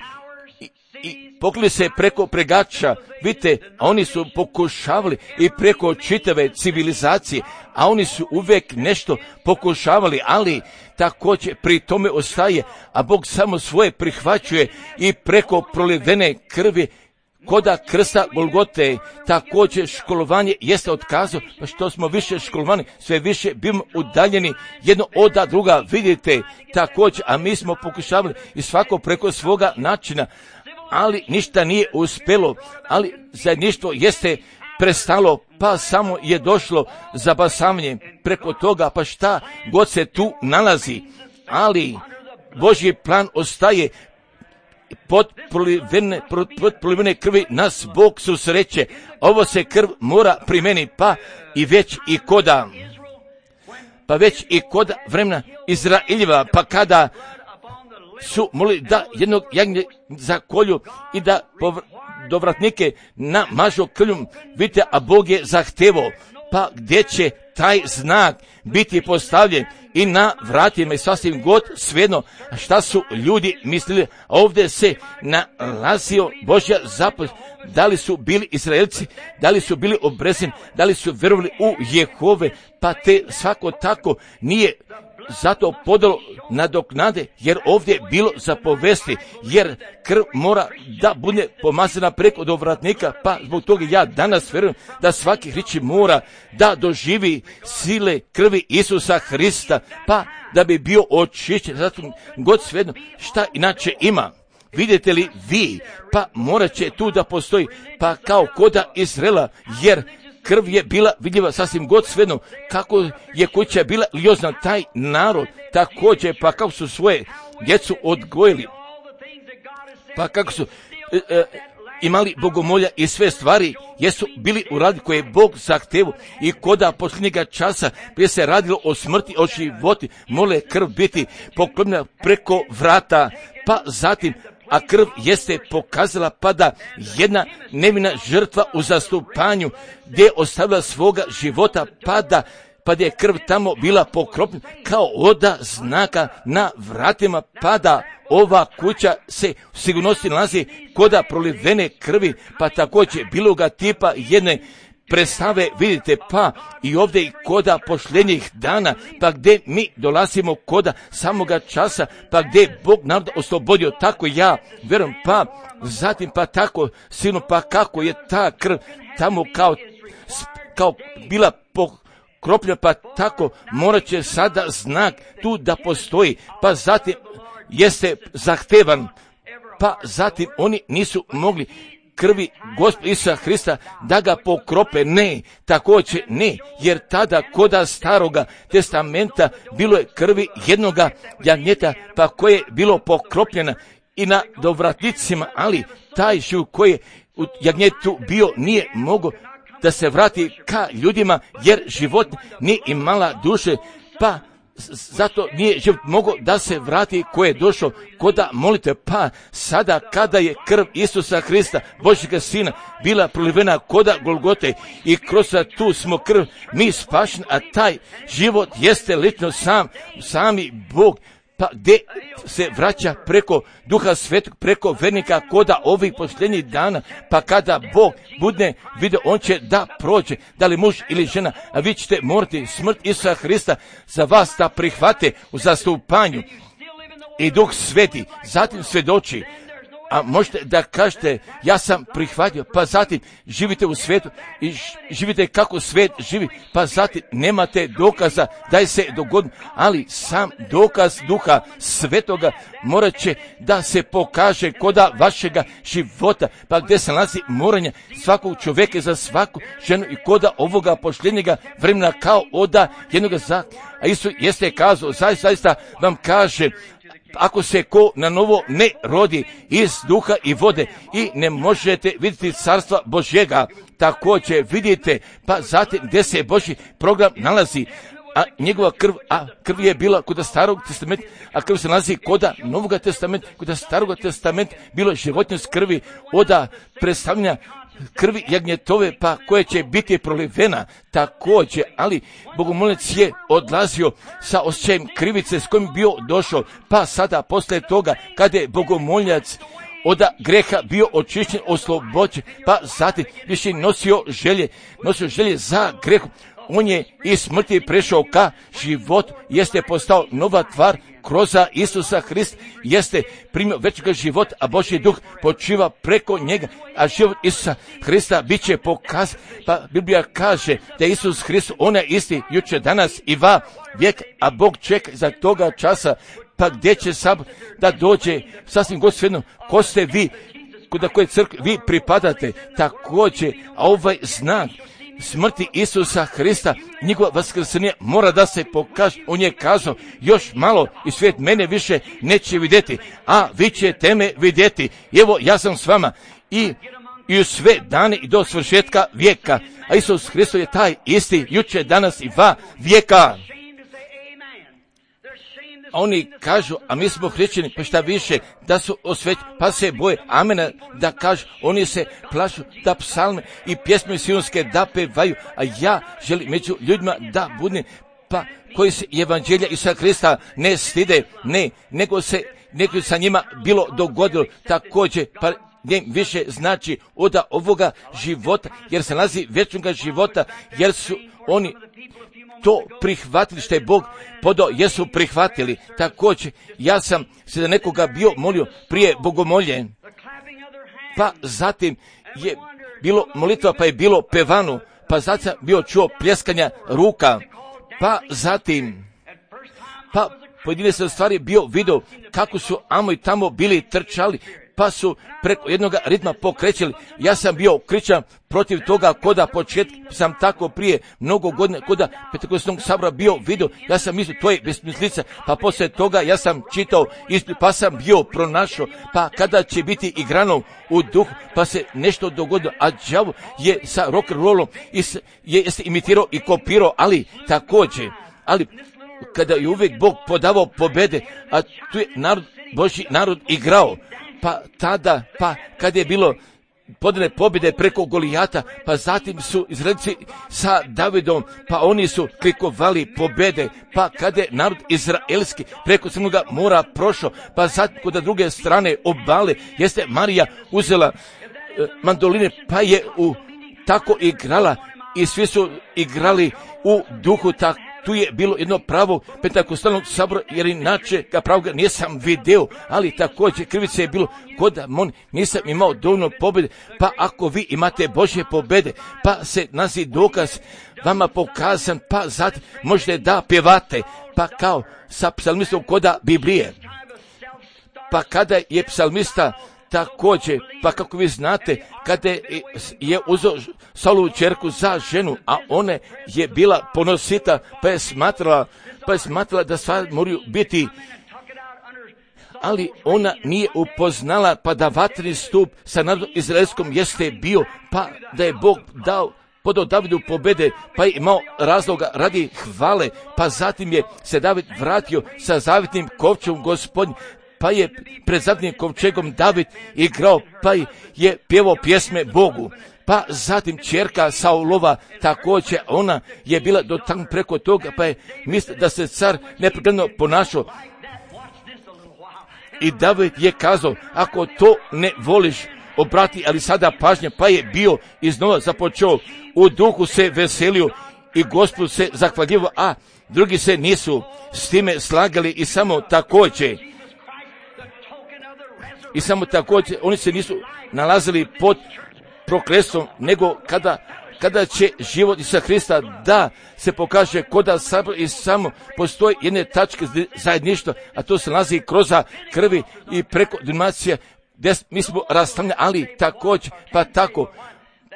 i poklili se preko pregača. Vidite, a oni su pokušavali i preko čitave civilizacije, a oni su uvijek nešto pokušavali, ali također pri tome ostaje, a Bog samo svoje prihvaćuje i preko prolivene krvi koda krsta Golgote. Također školovanje jeste otkazao, pa što smo više školovani, sve više bimo udaljeni jedno od druga. Vidite, također, a mi smo pokušavali i svako preko svoga načina, ali ništa nije uspjelo, ali zajedništvo jeste prestalo, pa samo je došlo zabasavanje preko toga, pa šta god se tu nalazi, ali Božji plan ostaje. Pod prolivene krvi nas Bog susreće. Ovo se krv mora primeniti, pa već i koda vremena Izraeljeva, pa kada su molili da jednog jagnje zakolju i da dovratnike namažu krvlju, vidite, a Bog je zahtevao, pa gdje će taj znak biti postavljen i na vratima i sasvim god svejedno šta su ljudi mislili. Ovdje se nalazio Božja zapovjed da li su bili Izraelci, da li su bili obrezeni, da li su vjerovali u Jehove, pa te svako tako nije zato podalo nadoknade, jer ovdje je bilo za povesti, jer krv mora da bude pomazana preko do vratnika, pa zbog toga ja danas vjerujem da svaki hrišćanin mora da doživi sile krvi Isusa Hrista, pa da bi bio očišćen, zato god svejedno šta inače ima. Vidite li vi, pa morat će tu da postoji, pa kao koda Izraela, jer krv je bila vidljiva sasvim god svejedno, kako je kuća bila liozna, taj narod također, pa kako su svoje djecu odgojili, pa kako su imali bogomolja i sve stvari, jesu bili u radi koje je Bog zahtevu i koda posljednjega časa gdje se radilo o smrti, o životi, mole krv biti poklonjena preko vrata, pa zatim a krv jeste pokazala pa da jedna nevina žrtva u zastupanju gdje je ostavila svoga života pa da je krv tamo bila pokropljena kao oda znaka na vratima, pa da ova kuća se u sigurnosti nalazi koda prolivene krvi, pa također bilo ga tipa jedne predstave, vidite, pa i ovdje i koda posljednjih dana, pa gdje mi dolazimo koda samoga časa, pa gdje je Bog narod oslobodio, tako ja vjerujem, pa zatim pa tako silno, pa kako je ta krv tamo kao bila pokropljena, pa tako morat će sada znak tu da postoji, pa zatim jeste zahtevan, pa zatim oni nisu mogli krvi Gospoda Isusa Hrista da ga pokrope, ne, također ne, jer tada koda staroga testamenta bilo je krvi jednoga jagnjeta, pa koje je bilo pokropljena i na dovratnicima, ali taj živ koji je u jagnjetu bio nije mogao da se vrati ka ljudima, jer život nije imala duše, pa zato nije život mogao da se vrati koje je došao koda molite, pa sada kada je krv Isusa Hrista, Božjega Sina, bila prolivena koda Golgote i kroz tu smo krv mi spašeni, a taj život jeste lično sami Bog, pa gdje se vraća preko Duha Svetog, preko vernika koda ovih posljednjih dana, pa kada Bog bude vidio, on će da prođe, da li muž ili žena, a vi ćete morati smrt Isusa Hrista za vas da prihvate u zastupanju i Duh Sveti, zatim svjedoči. A možete da kažete, ja sam prihvatio, pa zatim živite u svijetu i živite kako svijet živi, pa zatim nemate dokaza da je se dogodilo, ali sam dokaz Duha Svetoga morat će da se pokaže koda vašega života, pa gdje se nalazi moranje svakog čovjeka za svaku ženu i koda ovoga posljednjega vremena kao oda jednoga a Isus jeste kazao, zaista vam kaže, ako se ko na novo ne rodi iz duha i vode i ne možete vidjeti carstva Božjega, također vidite, pa zatim gdje se Božji program nalazi, a njegova krv je bila kod starog testamenta, a krv se nalazi kod novog testamenta, kod starog testamenta bilo životinje s krvi oda predstavljanja krvi jagnjetove, pa koje će biti prolivena također, ali bogomolec je odlazio sa osjećajem krivice s kojim je bio došao, pa sada poslije toga kada je bogomoljac od greha bio očišćen, oslobođen, pa zatim više nosio želje za grehom, on je iz smrti prešao ka životu, jeste postao nova tvar kroz Isusa Hrista, jeste primio večnog života, a Božji duh počiva preko njega, a život Isusa Hrista bit će pokazan, pa Biblija kaže da je Isus Hrist, on je isti jučer, danas i va vijek, a Bog čeka za toga časa, pa gdje će sabor da dođe, sasvim god svejedno, ko ste vi, kod koje crkve vi pripadate, također, a ovaj znak smrti Isusa Hrista, njegova vaskrsenja mora da se pokaže. On je kazao, još malo i svijet mene više neće vidjeti, a vi ćete me vidjeti. Evo, ja sam s vama i u sve dane i do svršetka vijeka. A Isus Hristos je taj isti jučer, danas i va vijeka. A oni kažu, a mi smo hrišćani, pa šta više, da su osvećeni, pa se boje, amena, da kažu, oni se plašu da psalme i pjesme sionske da pevaju, a ja želim među ljudima da budem, pa koji se evanđelja Isusa Hrista ne stide, ne, nego sa njima bilo dogodilo također, pa više znači od ovoga života, jer se nalazi vječnoga života, jer su oni to prihvatili što je Bog podao, jesu prihvatili. Također, ja sam se za nekoga bio molio prije bogomolje, pa zatim je bilo molitva, pa je bilo pevano, pa zatim bio čuo pljeskanja ruka, pa zatim, pa pojedine se stvari bio video kako su amo i tamo bili trčali, pa su preko jednog ritma pokrećili. Ja sam bio kričan protiv toga, koda početka sam tako prije mnogo godina, koda Pentekostnog sabora bio video, ja sam mislio, to je besmislica, pa poslije toga ja sam čitao, pa sam bio pronašao, pa kada će biti igrano u duhu, pa se nešto dogodilo, a đavo je sa rock and rollom jeste imitirao i kopirao, ali također, ali kada je uvijek Bog podavao pobede, a tu je narod, Božji narod igrao, pa tada, pa kad je bilo podane pobjede preko Golijata, pa zatim su Izraelci sa Davidom, pa oni su klikovali pobjede, pa kada je narod izraelski preko Crnoga mora prošao, pa zatim kod druge strane obale, jeste Marija uzela mandoline, pa je tako igrala i svi su igrali u duhu, tako. Tu je bilo jedno pravo Pentekostalnog sabora, jer inače ga pravoga nisam video, ali također krivice je bilo kod nisam imao dovoljno pobjede, pa ako vi imate Božje pobjede, pa se nazi dokaz vama pokazan, pa zatim možete da pjevate, pa kao sa psalmistom koda Biblije. Pa kada je psalmista također, pa kako vi znate, kada je uzeo Saulovu ćerku za ženu, a ona je bila ponosita, pa je smatrala da stvari moraju biti, ali ona nije upoznala, pa da vatreni stup sa narodom izraelskom jeste bio, pa da je Bog podao Davidu pobjede, pa je imao razloga radi hvale, pa zatim je se David vratio sa zavjetnim kovčegom Gospodnjim, pa je pred zavjetnim kovčegom David igrao, pa je pjevao pjesme Bogu. Pa zatim ćerka Saulova također, ona je bila do tamo preko toga, pa je mislila da se car nepregledno ponašao. I David je kazao, ako to ne voliš, obrati, ali sada pažnje, pa je bio iznova započeo, u duhu se veselio i Gospodu se zahvaljivao, a drugi se nisu s time slagali i samo također oni se nisu nalazili pod prokletstvom, nego kada će život Isusa Hrista da se pokaže koda sabor i samo postoji jedne tačke zajedništva, a to se nalazi kroz krvi i preko denominacija, gdje mi smo rastavljeni, ali također,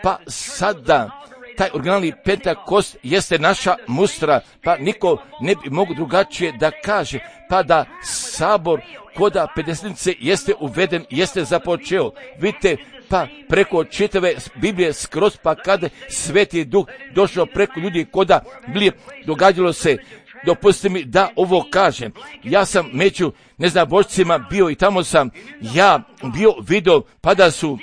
pa sada taj originalni Pentakost jeste naša mustra, pa niko ne bi mogu drugačije da kaže, pa da sabor koda Pedesetnice jeste uveden, jeste započeo. Vidite, pa preko čitave Biblije skroz, pa kada Sveti Duh došao preko ljudi koda Biblije, događalo se, dopustite mi da ovo kažem, ja sam među neznabošcima bio i tamo sam ja bio video, pa da su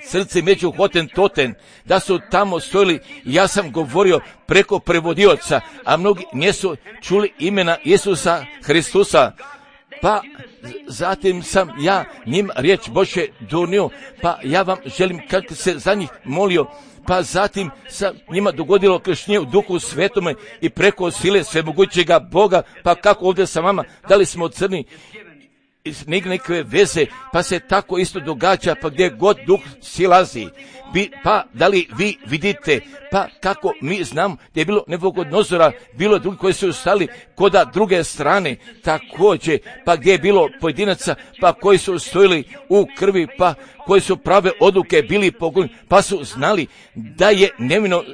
srce među Hotentoten, da su tamo stojili, ja sam govorio preko prevodioca, a mnogi nisu čuli imena Isusa Hristusa, pa zatim sam ja njima riječ Božje donio, pa ja vam želim kako se za njih molio, pa zatim sam njima dogodilo krštenje u Duhu Svetome i preko sile svemogućega Boga, pa kako ovdje sa vama, da li smo crni, iz nekakve veze, pa se tako isto događa, pa gdje god Duh silazi, pa da li vi vidite, pa kako mi znamo da je bilo Nabukodonozora, bilo drugi koji su stali koda druge strane, također, pa gdje je bilo pojedinaca, pa koji su stojili u krvi, pa koji su prave odluke bili pogonjeni, pa su znali da je nevino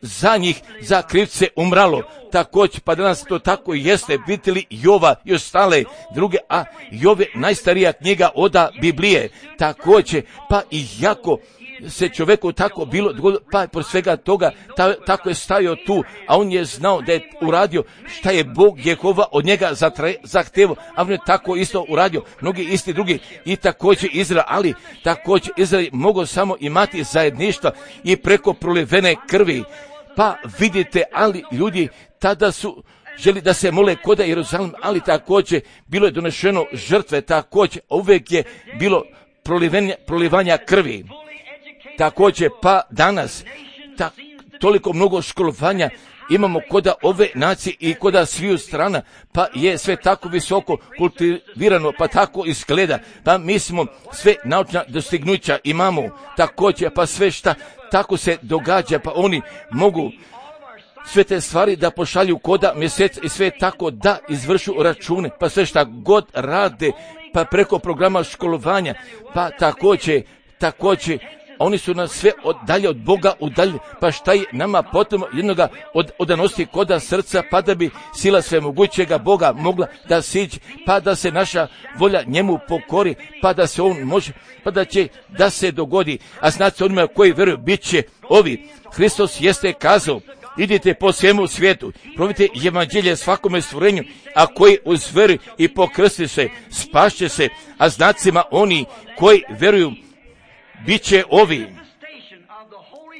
za njih, za krivce umralo. Također, pa danas to tako jeste, vidite li Jova i ostale druge, a Jov je najstarija knjiga od Biblije, također, pa i jako se čovjeku tako bilo, pa por svega toga, tako je stajao tu, a on je znao da je uradio šta je Bog Jehova od njega zahtevao, a on je tako isto uradio, mnogi isti drugi, i također Izrael, ali također Izrael mogao samo imati zajedništva i preko prolivene krvi, pa vidite, ali ljudi tada su želi da se mole koda Jeruzalem, ali također bilo je donešeno žrtve, također uvijek je bilo prolivanja krvi. Također, pa danas, toliko mnogo školovanja imamo koda ove nacije i koda sviju strana, pa je sve tako visoko kultivirano, pa tako izgleda, pa mi smo sve naučna dostignuća imamo, također, pa sve šta tako se događa, pa oni mogu sve te stvari da pošalju koda mjesec i sve tako da izvršu račune, pa sve šta god rade, pa preko programa školovanja, pa također, oni su nas sve dalje od Boga udaljili, pa šta je nama potom jednoga odanosti koda srca, pa da bi sila svemogućega Boga mogla da siđe, pa da se naša volja njemu pokori, pa da se on može, pa da će da se dogodi. A znate onima koji vjeruju, bit će ovi. Hristos jeste kazao, idite po svemu svijetu, probite evanđelje svakome stvorenju, a koji uz vjeru i pokrsti se, spašće se, a znacima oni koji vjeruju, bit će ovi.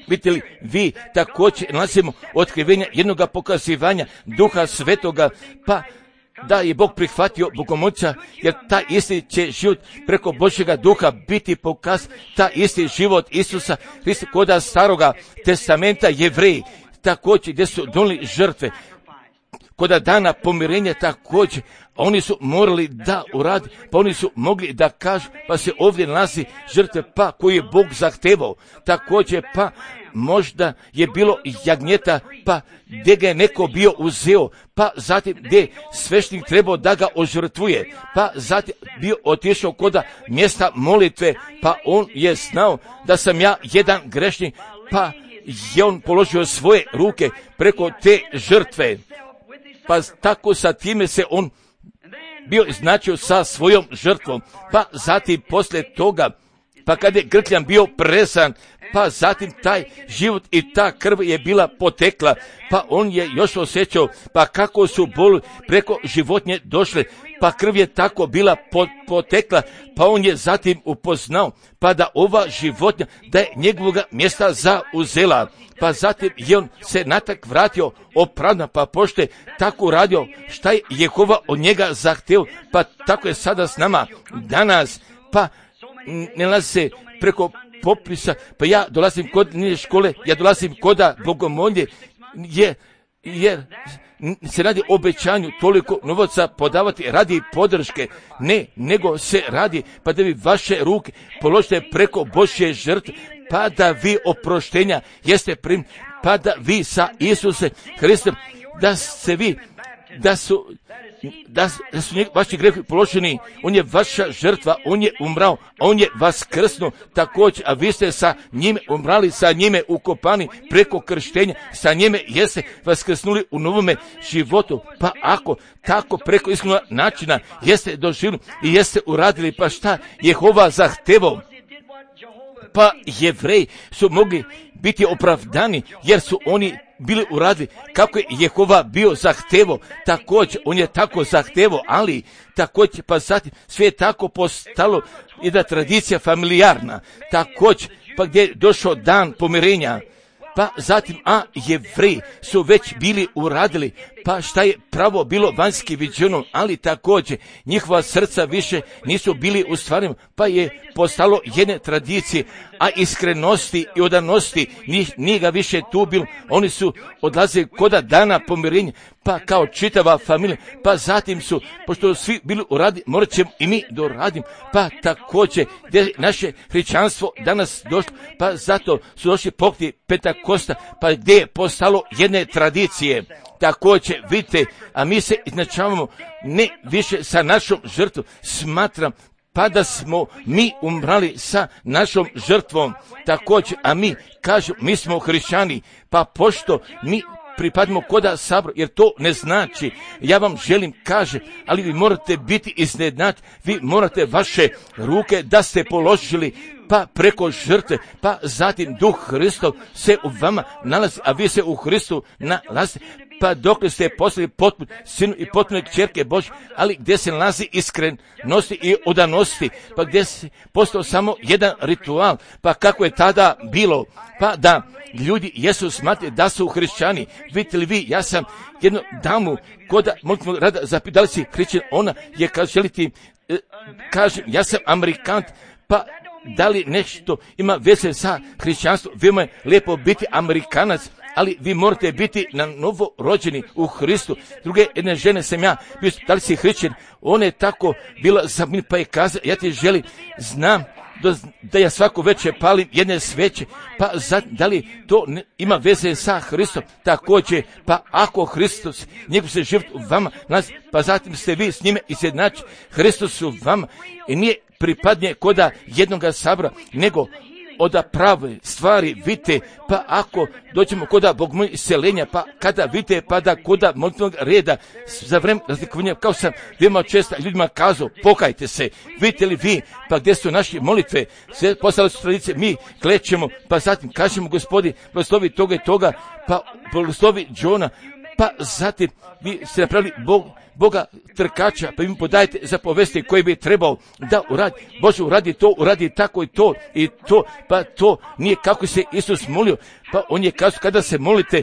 Vidite li, vi također nalazimo otkrivenja jednoga pokazivanja Duha Svetoga, pa da je Bog prihvatio bogomolca, jer ta isti će život preko Božjega Duha biti pokaz, ta isti život Isusa Hrista koda Staroga testamenta Jevreji, također gdje su donijeli žrtve, koda dana pomirenja također, oni su morali da uradi, pa oni su mogli da kažu, pa se ovdje nalazi žrtve, pa koji je Bog zahtevao, također pa možda je bilo jagnjeta, pa gdje ga je neko bio uzeo, pa zatim gdje svešnik trebao da ga ožrtvuje, pa zatim bio otišao koda mjesta molitve, pa on je znao da sam ja jedan grešnik, pa je on položio svoje ruke preko te žrtve, pa tako sa time se on bio značio sa svojom žrtvom, pa zatim poslije toga, pa kada je grkljan bio presan, pa zatim taj život i ta krv je bila potekla, pa on je još osjećao, pa kako su boli preko životinje došle, pa krv je tako bila potekla, pa on je zatim upoznao, pa da ova životinja, da je njegovoga mjesta zauzela, pa zatim je on se natak vratio opravdan, pa pošto je tako radio, šta je Jehova od njega zahteo, pa tako je sada s nama danas, pa ne nalazi se preko popisa, pa ja dolazim kod škole, ja dolazim koda bogomolje, jer se radi o obećanju toliko novaca podavati radi podrške, ne, nego se radi pa da vi vaše ruke položite preko Božje žrtve, pa da vi oproštenja jeste prim, pa da vi sa Isuse Hristom, da se vi, da su vaši grehi položeni, on je vaša žrtva, on je umrao, on je vaskrsnuo također, a vi ste sa njime umrali, sa njime ukopani preko krštenja, sa njime jeste vaskrsnuli u novome životu, pa ako tako preko iskrenog načina jeste doživjeli i jeste uradili, pa šta Jehova zahtevao, pa Jevreji su mogli biti opravdani jer su oni bili uradili kako je Jehova bio zahtevao, također on je tako zahtevao, ali također pa zatim sve je tako postalo jedna tradicija familijarna, također pa gdje je došao dan pomirenja, pa zatim Jevreji su već bili uradili, pa šta je pravo bilo vanjski viđeno, ali također njihova srca više nisu bili ustvareni, pa je postalo jedne tradicije, a iskrenosti i odanosti nije ga više tu bilo, oni su odlazili koda dana pomirenja, pa kao čitava familija, pa zatim su, pošto su svi bili uradili, morat ćemo i mi doradimo, pa također gdje naše hrišćanstvo danas došlo, pa zato su došli pokreti Pentakosta, pa gdje je postalo jedne tradicije. Također, vidite, a mi se izjednačavamo ne više sa našom žrtvom, smatram pa da smo mi umrali sa našom žrtvom, također, a mi kažemo, mi smo hrišćani, pa pošto mi pripadimo koda sabor, jer to ne znači, ja vam želim kaže, ali vi morate biti iznenađeni, vi morate vaše ruke da ste položili, pa preko žrtve, pa zatim Duh Hristov se u vama nalazi, a vi se u Hristu nalazite, pa dok ste postali potpun sinu i potpune kćerke Božje, ali gdje se nalazi iskrenosti i odanosti, pa gdje se postao samo jedan ritual, pa kako je tada bilo, pa da ljudi jesu smatrali da su hrišćani. Vidite li vi, ja sam jednu damu koda molitvenog rada zapitala si hrišćan, ona je želiti, kažem, ja sam Amerikant, Pa da li nešto ima veze sa hrišćanstvom? Vima je lijepo biti Amerikanac, ali vi morate biti na novo rođeni u Hristu. Druge jedne žene sam ja, da li si hrišćan? Ona je tako bila za mene, pa je kazala, ja ti želim, znam da ja svako večer palim jedne sveće, pa da li to ima veze sa Hristom? Također, pa ako Hristos, njegov se život u vama, pa zatim ste vi s njime izjednačeni, Hristos u vama i nije pripadnije koda jednoga sabora, nego oda prave stvari vidite, pa ako dođemo koda Bog moj iseljenja, pa kada vidite, pa da koda molitvenog reda za vreme razlikovanja, kao sam veoma često ljudima kazao, pokajte se, vidite li vi, pa gdje su naše molitve, sve postale su tradicije, mi klećemo, pa zatim kažemo Gospodi, blagoslovi toga i toga, pa blagoslovi Johna, pa zatim vi ste napravili Boga trkača, pa im podajte zapovesti koji bi trebao da uradi. Bože, uradi to, uradi tako i to, pa to nije kako se Isus molio, pa on je kazao kada se molite,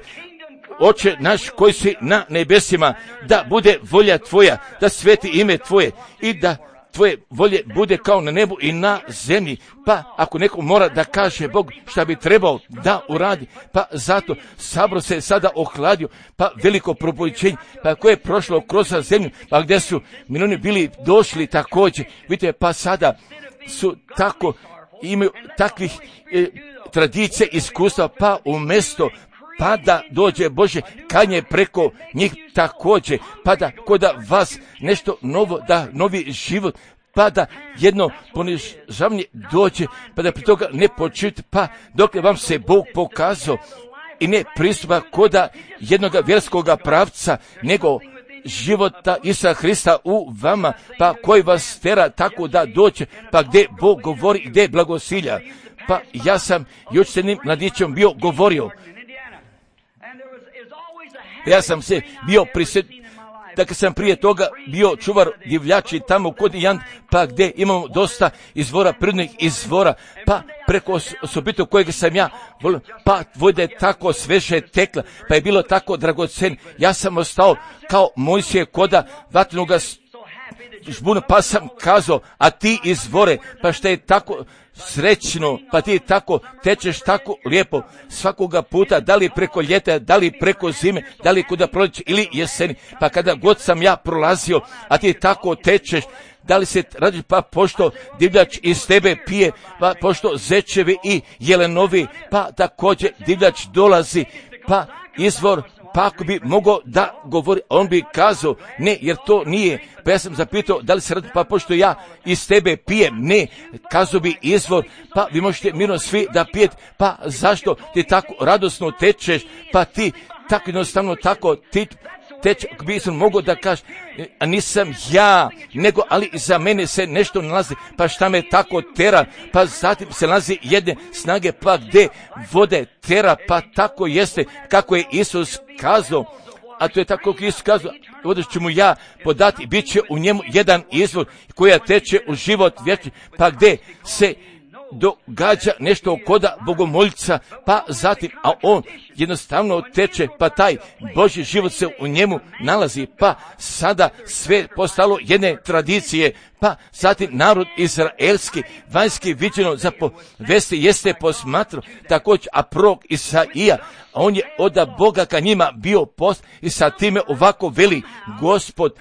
Oče naš koji si na nebesima, da bude volja tvoja, da sveti ime tvoje i da tvoje volje bude kao na nebu i na zemlji. Pa ako neko mora da kaže Bog šta bi trebao da uradi, pa zato sabor se sada ohladio, pa veliko propovjeđenje, pa koje je prošlo kroz zemlju, pa gdje su milioni bili došli također, vidite, pa sada su tako, imaju takvih tradicija, iskustva, pa umjesto pa da dođe Bože kanje preko njih također, pa da koda vas nešto novo, da novi život, pa da jedno ponižavanje dođe, pa da pri toga ne počujete, pa dok vam se Bog pokazao i ne pristupa koda jednoga vjerskoga pravca, nego života Isusa Hrista u vama, pa koji vas tera tako da dođe, pa gdje Bog govori, gdje blagosilja. Pa ja sam još s jednim mladićem bio govorio, ja sam se bio da kad sam prije toga bio čuvar divljači tamo kod Jan, pa gdje imamo dosta izvora, prirodnih izvora, pa preko osobito kojeg sam ja volio, pa voda je tako sveže tekla, pa je bilo tako dragocen, ja sam ostao kao Mojsije koda vatrenoga žbuna, pa sam kazao, a ti izvore, pa što je tako srećno, pa ti tako tečeš tako lijepo svakoga puta, da li preko ljeta, da li preko zime, da li kuda proljeće ili jeseni, pa kada god sam ja prolazio, a ti tako tečeš, da li se radi, pa pošto divljač iz tebe pije, pa pošto zečevi i jelenovi, pa također divljač dolazi, pa izvor, pa ako bi mogao da govori, on bi kazao, ne, jer to nije. Pa ja sam zapitao, da li se radi, pa pošto ja iz tebe pijem, ne, kazao bi izvor, pa vi možete mirno svi da pijete, pa zašto ti tako radosno tečeš, pa ti tako jednostavno tako ti teče, ako bi sam mogao da kažeš, a nisam ja, nego, ali za mene se nešto nalazi, pa šta me tako tera, pa zatim se nalazi jedne snage, pa gdje vode tera, pa tako jeste, kako je Isus kazao, a to je tako kako Isus kazao, ovdje ću mu ja podati, bit će u njemu jedan izvor koja teče u život vječni, pa gdje se događa nešto koda bogomoljca, pa zatim, a on jednostavno teče, pa taj Božji život se u njemu nalazi, pa sada sve postalo jedne tradicije, pa zatim narod izraelski, vanjski viđeno za povesti jeste posmatrao, također, a prorok Isaija, a on je od Boga ka njima bio post i sa time ovako veli Gospod,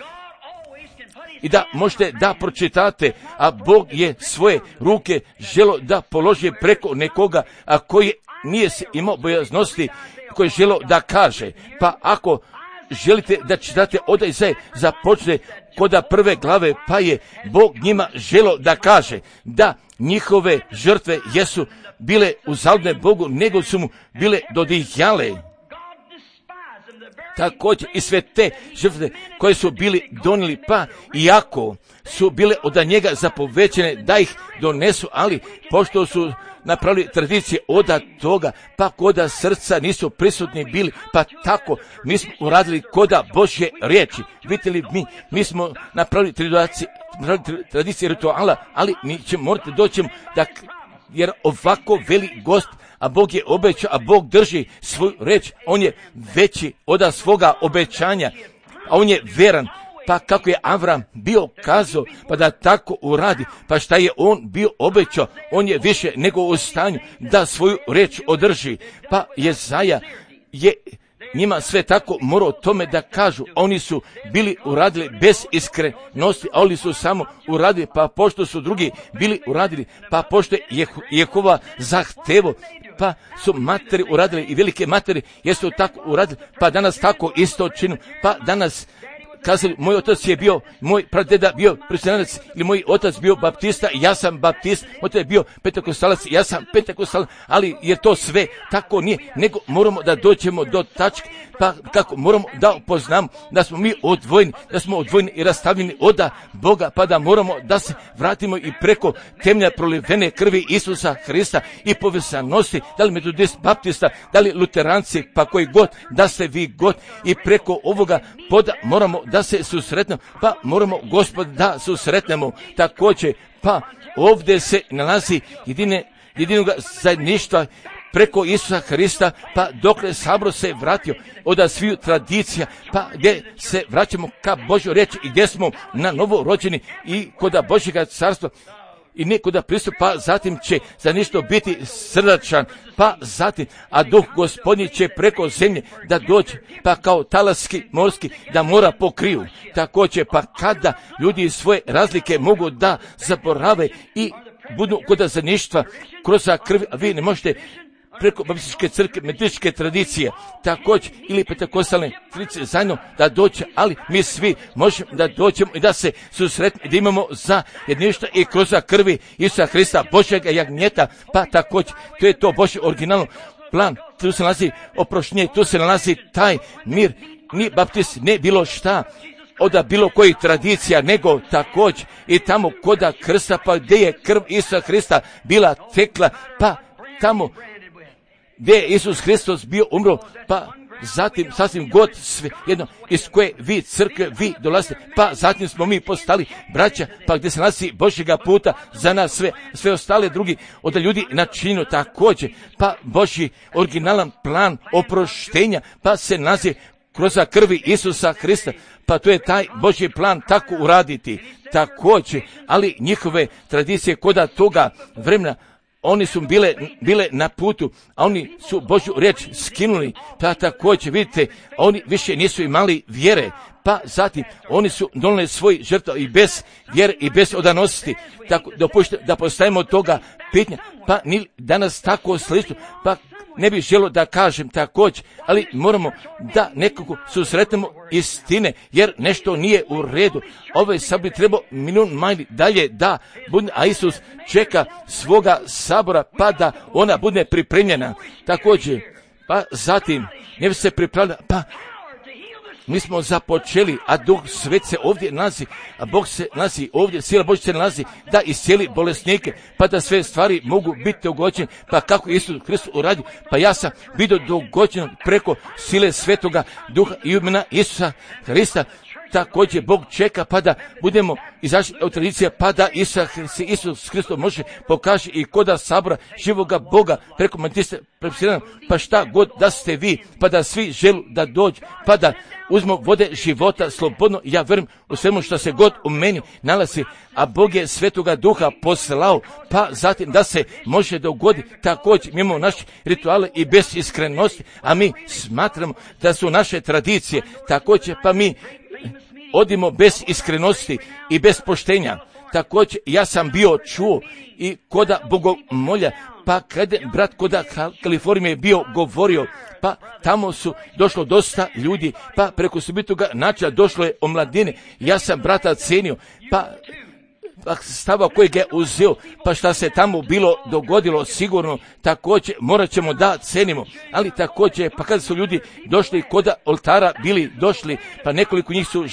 i da možete da pročitate, a Bog je svoje ruke želo da položi preko nekoga, a koji nije imao bojaznosti, koji je želo da kaže. Pa ako želite da čitate od Izaje, započne koda prve glave, pa je Bog njima želo da kaže da njihove žrtve jesu bile uzaludne Bogu, nego su mu bile dodijale. Također i sve te žrtve koje su bili donijeli, pa iako su bile od njega zapovećene da ih donesu, ali pošto su napravili tradicije od toga, pa koda srca nisu prisutni bili, pa tako mi smo uradili koda Božje riječi. Vidite li, mi smo napravili tradicije rituala, ali mi ćemo morati doći da, jer ovako veli Gost, a Bog je obećao, a Bog drži svoju reč, on je veći od svoga obećanja, a on je veran, pa kako je Avram bio kazao, pa da tako uradi, pa šta je on bio obećao, on je više nego u stanju da svoju reč održi, pa Jezaja je njima sve tako morao tome da kažu. Oni su bili uradili bez iskrenosti, a oni su samo uradili, pa pošto su drugi bili uradili, pa pošto je Jehova zahtevo, pa su materi uradili i velike materi jesu tako uradili, pa danas tako isto činu, pa danas kazali, moj otac je bio, moj pradeda bio presbiterac, ili moj otac bio baptista, ja sam baptist, moj otac je bio pentekostalac, ja sam pentekostalac, ali je to sve tako nije, nego moramo da dođemo do tačke, pa kako moramo da upoznamo da smo mi odvojeni, i rastavljeni od Boga, pa da moramo da se vratimo i preko temelja prolivene krvi Isusa Hrista i povezanosti, da li metodist, baptista, da li luteranci, pa koji god, da ste vi god, i preko ovoga poda moramo da se susretnemo, pa moramo Gospod da susretnemo također, pa ovdje se nalazi jedinog zajedništva preko Isusa Hrista, pa dokle sabor se vratio od sviju tradicija, pa gdje se vraćamo ka Božjoj riječi i gdje smo na novo rođeni i kod Božjega carstva i ne kod pristupa, pa zatim će za ništo biti srdačan, pa zatim, a duh Gospodnji će preko zemlje da dođe, pa kao talaski morski da mora pokriju. Također, pa kada ljudi svoje razlike mogu da zaborave i budu kod zajedništva kroz krv, a vi ne možete preko baptističke crkve, metodističke tradicije, također, ili pentekostalne tradicije zajedno da dođe, ali mi svi možemo da dođemo i da se susretimo i da imamo za jedništvo i kroz krvi Isusa Hrista, Božjega jagnjeta, pa također, to je to Božji originalno plan, tu se nalazi oproštenje, tu se nalazi taj mir, ni baptist, ne bilo šta, od bilo kojih tradicija, nego također i tamo koda krsta, pa gdje je krv Isusa Hrista bila tekla, pa tamo gdje je Isus Hristos bio umro, pa zatim sasvim god sve jedno iz koje vi crkve vi dolazite, pa zatim smo mi postali braća, pa gdje se nalazi Božjega puta za nas sve ostale drugi od ljudi načinju također, pa Božji originalan plan oproštenja, pa se nalazi kroz krvi Isusa Hrista, pa to je taj Božji plan tako uraditi također, ali njihove tradicije koda toga vremena, oni su bile na putu, a oni su Božju riječ skinuli, pa također vidite, oni više nisu imali vjere, pa zatim oni su donijeli svoj žrtvu i bez vjere i bez odanosti, tako dopušte da postavimo toga pitanja, pa ni danas tako slično, pa ne bih želio da kažem također, ali moramo da nekako susretnemo istine, jer nešto nije u redu. Ovaj sad bi trebao milijun majli dalje da bude, a Isus čeka svoga sabora, pa da ona bude pripremljena. Također, pa zatim, ne bi se pripravljala, pa mi smo započeli, a Duh Svet se ovdje nalazi, a Bog se nalazi ovdje, sila Božja se nalazi da iscijeli bolesnike, pa da sve stvari mogu biti dogođene, pa kako Isus Hristos uradi, pa ja sam vidio dogođeno preko sile Svetoga Duha i imena Isusa Hrista. Također Bog čeka pa da budemo izašli od tradicije, pa da Isus Hristos može pokaže i koda sabora živoga Boga preko matiste prepisiranog, pa šta god da ste vi, pa da svi želu da dođu, pa da uzmo vode života slobodno. Ja vjerujem u svemu što se god u meni nalazi, a Bog je Svetoga Duha poslao, pa zatim da se može dogoditi. Također mi imamo naše rituale i bez iskrenosti, a mi smatramo da su naše tradicije također, pa mi odimo bez iskrenosti i bez poštenja. Također ja sam bio čuo i koda bogomolja, pa kada brat koda Kalifornije je bio govorio, pa tamo su došlo dosta ljudi, pa preko subitoga načina došlo je omladine. Ja sam brata cenio, pa stava kojeg je uzeo, pa šta se tamo bilo dogodilo, sigurno također morat ćemo da cenimo, ali također pa kada su ljudi došli kod oltara bili došli, pa nekoliko njih su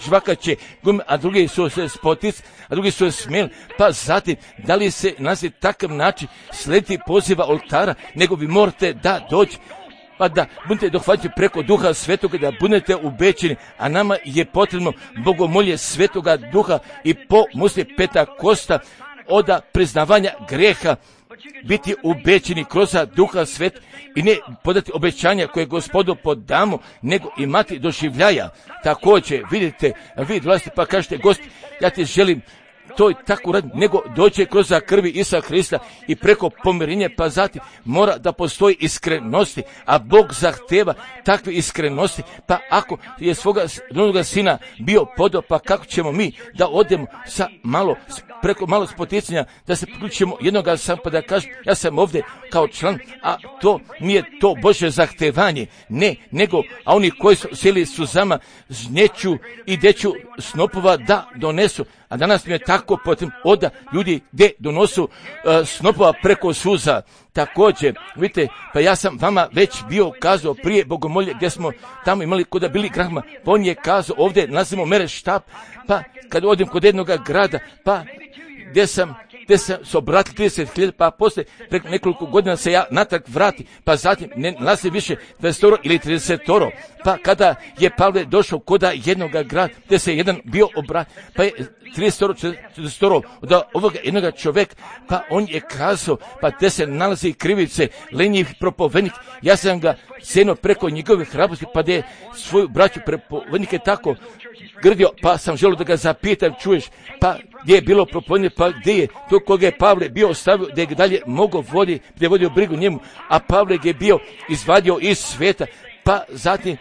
žvakaće gume, a drugi su se spotic, a drugi su se smijeli, pa zatim da li se nazi takav način slediti poziva oltara, nego vi morate da doći, pa da budete dohvaćeni preko Duha Svetoga, da budete ubećeni, a nama je potrebno bogomolje Svetoga Duha i po musli Pentakosta od priznavanja greha, biti ubećeni kroz Duha Svet i ne podati obećanja koje Gospodu podamo, nego imati doživljaja. Također, vidite, vi dolazite pa kažete, Gost, ja ti želim to tako raditi, nego dođe kroz krvi Isusa Hrista i preko pomirenja, pa zatim mora da postoji iskrenosti, a Bog zahteva takve iskrenosti. Pa ako je svoga rodoga sina bio podao, pa kako ćemo mi da odemo sa preko malo spoticanja, da se priključimo jednoga sam, pa da kažem, ja sam ovdje kao član, a to nije to Božje zahtevanje, ne, nego, a oni koji su sjeli suzama, žnjeću i deću snopova da donesu. A danas mi je tako potrebno oda ljudi gdje donosu snopova preko suza. Također, vidite, pa ja sam vama već bio kazao prije bogomolje gdje smo tamo imali kod bili Grahama, pa on je kazao ovdje nalazimo mere štab, pa kad odem kod jednog grada, pa gdje sam se obratili 30.000, pa poslije preko nekoliko godina se ja natrag vrati, pa zatim ne nalazi više 20 ili 30. Pa kada je Pavle došao kod jednog grada gdje se jedan bio obratio, pa je 30, 40 od ovoga jednog čovjeka, pa on je kazao, pa gdje se nalazi krivice, lenjiv propovednik, ja sam ga sjenuo preko njegove hrabrosti, pa da je svoju braću propovednike tako grdio, pa sam želio da ga zapitam, čuješ, pa gdje je bilo propovednik, pa gdje je to koga je Pavle bio ostavio, da je dalje mogao voditi, da je vodio brigu njemu, a Pavle je bio izvadio iz sveta, pa zatim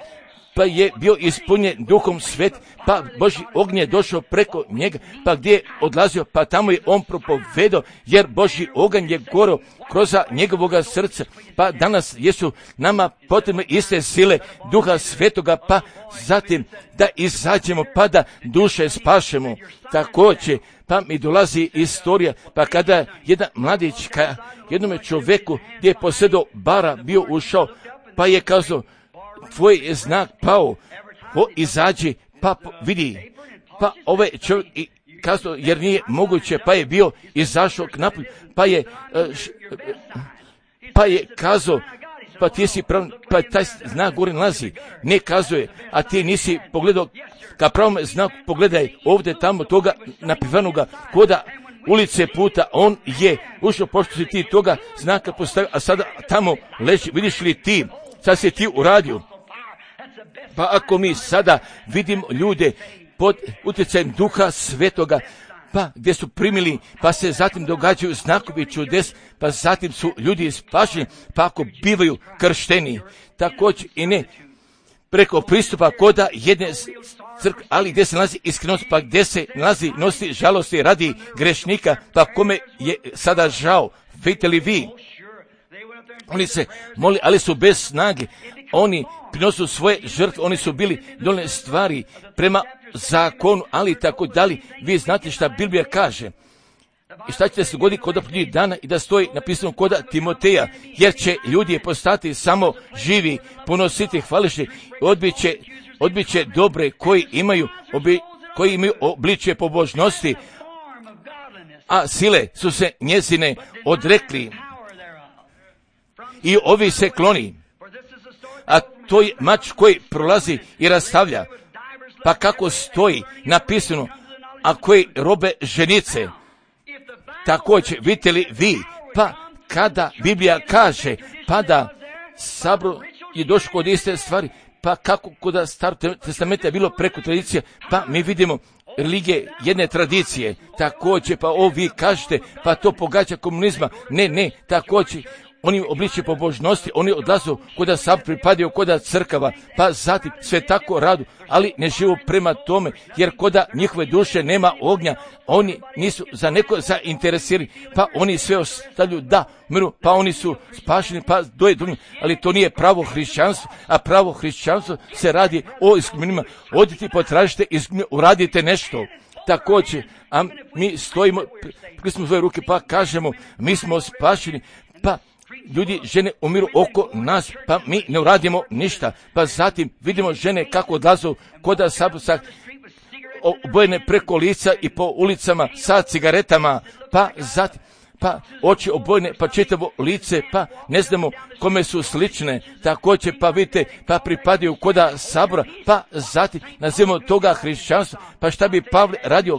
pa je bio ispunjen Duhom Svet, pa Božji ognje je došao preko njega, pa gdje je odlazio, pa tamo je on propovedao, jer Božji oganj je gorao kroz njegovoga srca, pa danas jesu nama potrebne iste sile Duha Svetoga, pa zatim da izađemo, pa da duše spašemo. Također, pa mi dolazi istorija, pa kada jedan mladić ka jednome čovjeku gdje je posjedao bara bio ušao, pa je kazao, tvoj je znak pao, izađi, pa vidi, pa ovaj čovjek kazao, jer nije moguće, pa je bio izašao k napolju, pa je kazao, pa ti si prav, pa taj znak gore nalazi, ne kazuje, a ti nisi pogledao, ka pravom znaku pogledaj ovdje tamo toga napivanoga koda ulice puta, on je ušao pošto si ti toga znaka postavio, a sada tamo leži, vidiš li ti, sad si ti uradio. Pa ako mi sada vidimo ljude pod utjecajem Duha Svetoga, pa gdje su primili, pa se zatim događaju znakovi čudes, pa zatim su ljudi spašeni, pa ako bivaju kršteni, također i ne preko pristupa koda jedne crkve, ali gdje se nalazi iskrenost, pa gdje se nalazi nosi žalosti radi grešnika, pa kome je sada žao, vidite li vi? Oni se moli, ali su bez snage, oni prinosu svoje žrtve, oni su bili dolne stvari prema zakonu, ali tako dalje. Vi znate šta Biblija kaže. I šta će se goditi kod posljednjih dana i da stoji napisano koda Timoteja, jer će ljudi postati samo živi, ponositi hvališni, odbit će dobre koji imaju obličje pobožnosti, a sile su se njezine odrekli. I ovi se kloni, a to je mač koji prolazi i rastavlja, pa kako stoji napisano, a koji robe ženice. Također, vidite li vi, pa kada Biblija kaže, pa da sabor je došao kod iste stvari, pa kako kod Starog testamenta je bilo preko tradicije, pa mi vidimo religije jedne tradicije, također, pa vi kažete, pa to pogađa komunizma, ne, također, oni obliče pobožnosti, oni odlazu koda sam pripadaju koda crkava, pa zatim sve tako radu, ali ne živu prema tome, jer koda njihove duše nema ognja, oni nisu za neko zainteresirani, pa oni sve ostavljaju da miru, pa oni su spašeni, pa doje drugim, ali to nije pravo hrišćanstvo, a pravo hrišćanstvo se radi o iskupljenima. Odite, potražite, uradite nešto. Također, a mi stojimo, prismo svoje ruke, pa kažemo, mi smo spašeni, pa ljudi, žene umiru oko nas, pa mi ne uradimo ništa, pa zatim vidimo žene kako odlazu koda saborca obojene preko lica i po ulicama sa cigaretama, pa zatim, pa oči obojene, pa čitavo lice, pa ne znamo kome su slične, također pa vidite, pa pripadaju koda sabora, pa zatim nazivamo toga hrišćanstva, pa šta bi Pavle radio,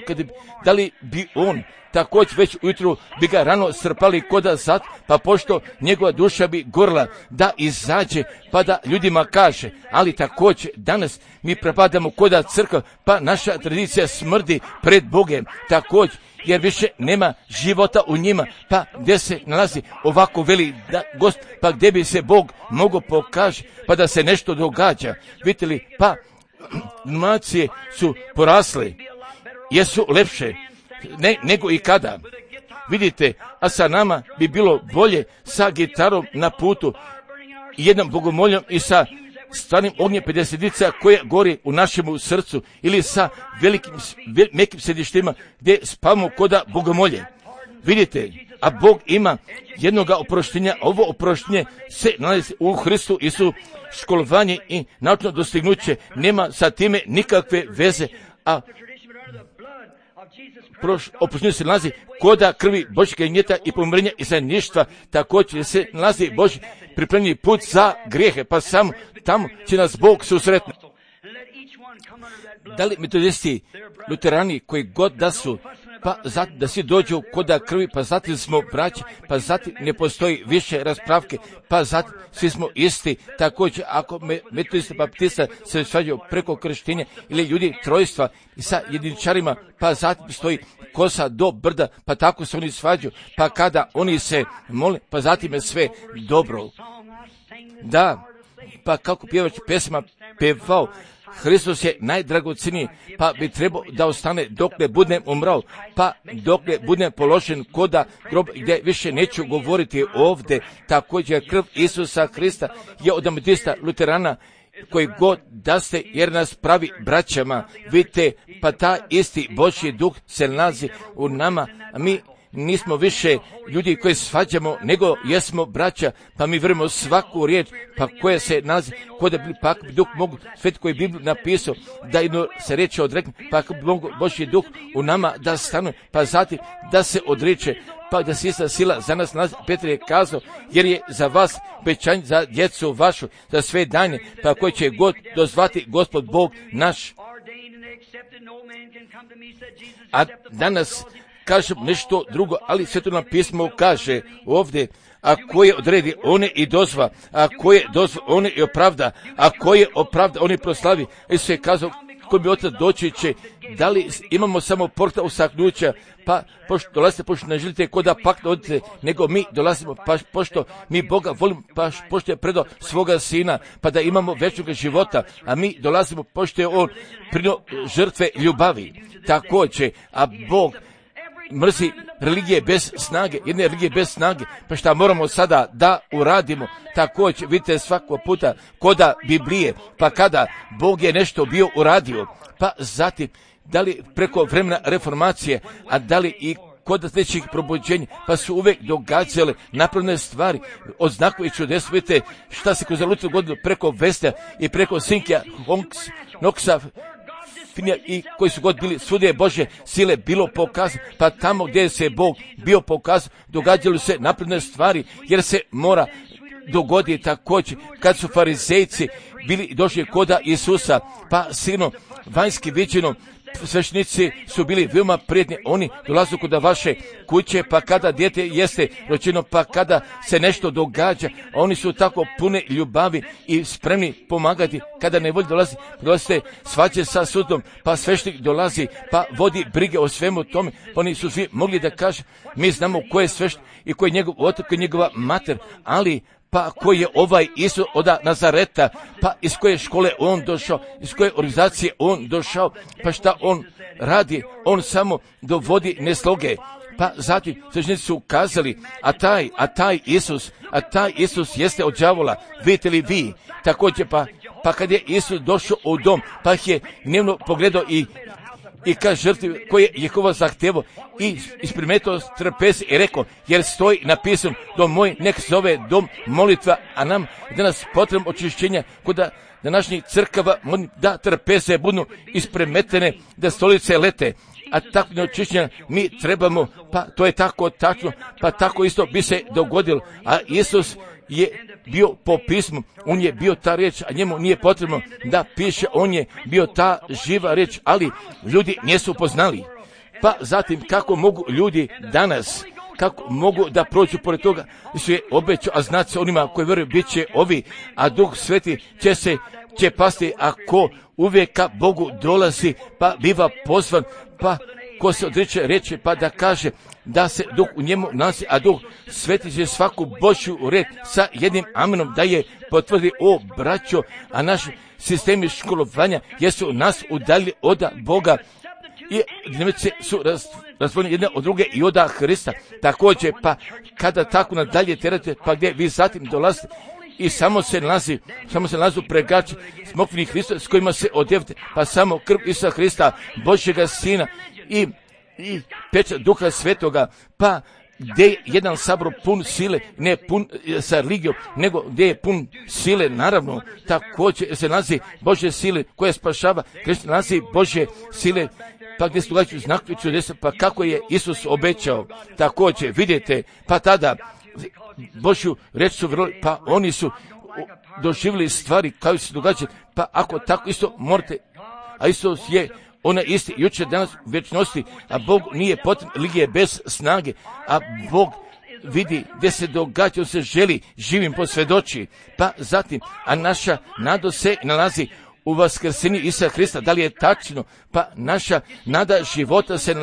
da li bi on također već ujutru bi ga rano strpali koda zat, pa pošto njegova duša bi gorila da izađe, pa da ljudima kaže, ali također danas mi prepadamo koda crkva, pa naša tradicija smrdi pred Bogem, također, jer više nema života u njima, pa gdje se nalazi ovako veli da gost, pa gdje bi se Bog mogao pokaže, pa da se nešto događa. Vidite li, pa nacije su porasle, jesu lepše nego i kada. Vidite, a sa nama bi bilo bolje sa gitarom na putu, jednom bogomoljom i sa stvarnim ognjem 50 koje gori u našemu srcu, ili sa mekim središtima gdje spavamo koda bogomolje. Vidite, a Bog ima jednoga oproštenja, ovo oproštenje se nalazi u Hristu Isu, školovanje i naučno dostignuće nema sa time nikakve veze, a oproštenje se nalazi koda krvi Božjega gnjeta i pomirenja i zajedništva, također se nalazi Božji pripremljeni put za grijehe, pa samo tamo će nas Bog susretiti. Da li metodisti, luterani, koji god da su, pa zatim da svi dođu koda krvi, pa zatim smo braći, pa zatim ne postoji više raspravke, pa zatim svi smo isti. Također, ako metodista baptista se svađaju preko krštenja ili ljudi trojstva i sa jediničarima, pa zatim stoji kosa do brda, pa tako se oni svađaju, pa kada oni se mole, pa zatim je sve dobro. Da, pa kako pjevač pesma pevao, Hristos je najdragoceniji, pa bi trebao da ostane dok ne budem umrao, pa dok ne budem položen koda grob, gdje više neću govoriti ovdje. Također krv Isusa Hrista je od metodista, luterana, koji god da ste, jer nas pravi braćama. Vidite, pa ta isti Božji duh se nalazi u nama, a mi nismo više ljudi koji svađamo, nego jesmo braća, pa mi vjerujemo svaku riječ, pa koje se nalazi, kod da bi pak duh mogu, svet koji je Bibliju napisao, da jedno se reče odrekne, pa bi mogu Božji duh u nama da stanuje, pa zatim da se odreče, pa da se ista sila za nas nalazi. Petar je kazao, jer je za vas obećanje za djecu vašu, za sve danje, pa koji će god dozvati Gospod Bog naš. A danas kažem nešto drugo, ali Sveto pismo kaže ovdje, a ko je odredi, on je i dozva, a ko je dozva, on je i opravda, a ko je opravda, on je proslavi. I sve je kazao, ko bi otac doći će, da li imamo samo porta usaknuća, pa pošto dolazite, pošto ne želite ko da pak odite, nego mi dolazimo, pa pošto mi Boga volimo, pa pošto je predao svoga sina, pa da imamo večnog života, a mi dolazimo, pošto je on prinio žrtve ljubavi. Također, a Bog mrzi religije bez snage, jedne religije bez snage, pa šta moramo sada da uradimo. Također, vidite svakog puta koda Biblije, pa kada Bog je nešto bio uradio, pa zatim, da li preko vremena reformacije, a da li i kod sljedećih probuđenja, pa su uvijek događale napravne stvari od znakova i čudesa. Vidite šta se kroz Luther godinu preko Vesta i preko Sinkija, Knoxa, i koji su god bili, svugdje je Božje sile bilo pokazano, pa tamo gdje se Bog bio pokazao, događali se napredne stvari, jer se mora dogoditi također, kad su farizejci bili došli koda Isusa, pa silno vanjski viđeno, sveštenici su bili veoma prijetni, oni dolazu kod vaše kuće, pa kada dijete jeste rođeno, pa kada se nešto događa, oni su tako pune ljubavi i spremni pomagati. Kada ne volji dolazite svađe sa sudom, pa sveštenik dolazi, pa vodi brige o svemu tome, pa oni su svi mogli da kažu, mi znamo ko je sveštenik i ko je njegov otac, ko je njegova mater, ali pa koji je ovaj Isus od Nazareta, pa iz koje škole on došao, iz koje organizacije on došao, pa šta on radi, on samo dovodi nesloge. Pa zatim sveštenici su kazali, a taj Isus jeste od đavola, vidite li vi? Također pa kad je Isus došao u dom, pa je dnevno pogledao i kaže žrtvi koje je Jehova zahtevao i isprimetao trpezi i rekao, jer stoji napisano, dom moj nek zove dom molitva, a nam danas potrebno očišćenja kod današnjih crkava da trpeze budu ispremetene, da stolice lete. A tako neočišćenja mi trebamo, pa to je tako tačno, pa tako isto bi se dogodilo. A Isus je bio po pismu, on je bio ta riječ, a njemu nije potrebno da piše, on je bio ta živa riječ, ali ljudi nisu poznali. Pa zatim kako mogu ljudi danas, kako mogu da prođu pored toga, su je obećao, a znat se onima koji vjeruju bit će ovi, a Duh Sveti će pasti, ako uvijek ka Bogu dolazi, pa biva pozvan, pa ko se odriče reći, pa da kaže da se Duh u njemu nalazi, a Duh Sveti će svaku Božju red sa jednim amenom da je potvrdi, o braćo, a naši sistemi školovanja jesu nas udalji od Boga i dnevnice su razvojene jedne od druge i od Hrista. Također, pa kada tako nadalje terate, pa gdje vi zatim dolazite i samo se nalazi pregači smokvini Hrista s kojima se odjevite, pa samo krv Isusa Hrista, Božjega Sina i pečat Duha Svetoga, pa gdje je jedan sabor pun sile, ne pun sa religijom, nego gdje je pun sile, naravno, također se nalazi Božje sile koja spašava, gdje se nalazi Božje sile, pa gdje se događaju znakovi čudesa, pa kako je Isus obećao, također vidite, pa tada Božju reč su vjerovali, pa oni su doživjeli stvari kao se događaju, pa ako tako isto morate, a Isus je ona isti jučer, danas, u vječnosti, a Bog nije potrebno religije bez snage, a Bog vidi gdje se događa, on se želi živim posvjedoči, pa zatim, a naša nada se nalazi u vaskrsenju Isusa Hrista. Da li je tačno? Pa naša nada života se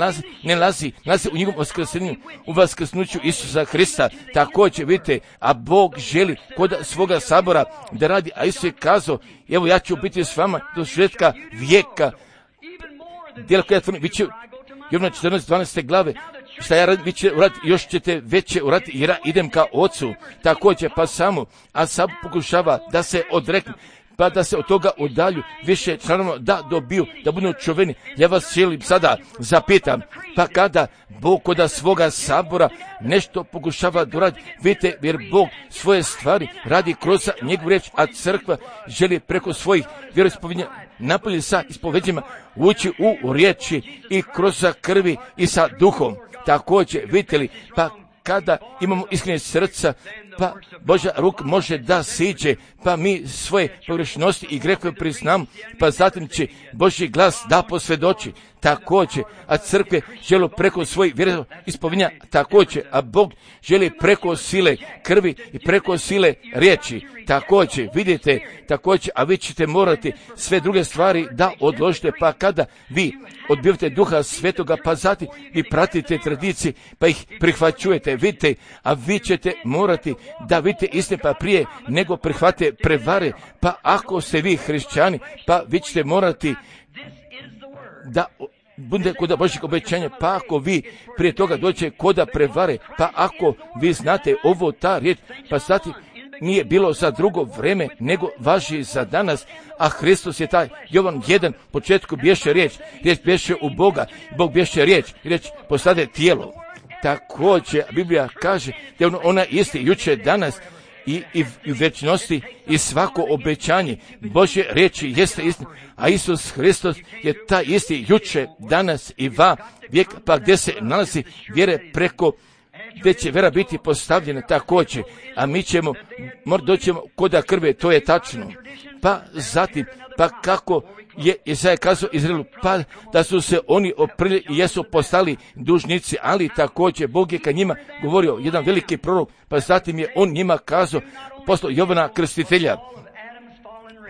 nalazi u njegovom vaskrsenju, u vaskrsnuću Isusa Hrista. Također vidite, a Bog želi kod svoga sabora da radi, a Isus je kazao, evo ja ću biti s vama do svjetka vijeka. Djela koja tvrdi, vi će, Jovana 14:12 glave, šta ja radim, vi će uraditi, još ćete veće uraditi, jer ja idem ka Ocu. Također, pa samo, a sad pokušava da se odrekne, pa da se od toga udalju više članova da dobiju, da budu čuveni. Ja vas želim sada zapitam, pa kada Bog kod svoga sabora nešto pokušava da radi, vidite, jer Bog svoje stvari radi kroz njegovu riječ, a crkva želi preko svojih vjeroispovjedanja napolje sa ispovedjima ući u riječi i kroz krvi i sa duhom. Također, vidite li, pa kada imamo iskrene srca, pa Božja ruka može da siđe, pa mi svoje pogrešnosti i grehove priznamo, pa zatim će Božji glas da posvjedoči. Također, a crkve žele preko svojih vjeroispovjedanja, također, a Bog želi preko sile krvi i preko sile riječi. Također, vidite, također, a vi ćete morati sve druge stvari da odložite, pa kada vi odbivate Duha Svetoga, pa zatim vi pratite tradicije, pa ih prihvaćujete, vidite, a vi ćete morati da vidite istine, pa prije nego prihvate prevare, pa ako ste vi hrišćani, pa vi ćete morati da bude kod Božjeg obećanja, pa ako vi prije toga dođe kod prevare, pa ako vi znate ovo ta riječ, pa zatim nije bilo za drugo vreme, nego važi za danas, a Hristos je taj. Jovan 1, početku bješe riječ bješe u Boga, Bog bješe riječ postade tijelo. Također, Biblija kaže da je ona isti jučer, danas i u vječnosti, i svako obećanje Božje riječi jeste istina, a Isus Hristos je taj isti jučer, danas i va vijek, pa gdje se nalazi vjere preko, gdje će vjera biti postavljena također, a mi ćemo doćemo kod krve, to je tačno. Pa zatim, pa kako je Izaja kazao Izraelu, pa da su se oni oprili i jesu postali dužnici, ali također Bog je ka njima govorio, jedan veliki prorok, pa zatim je on njima kazao, poslao Jovana Krstitelja,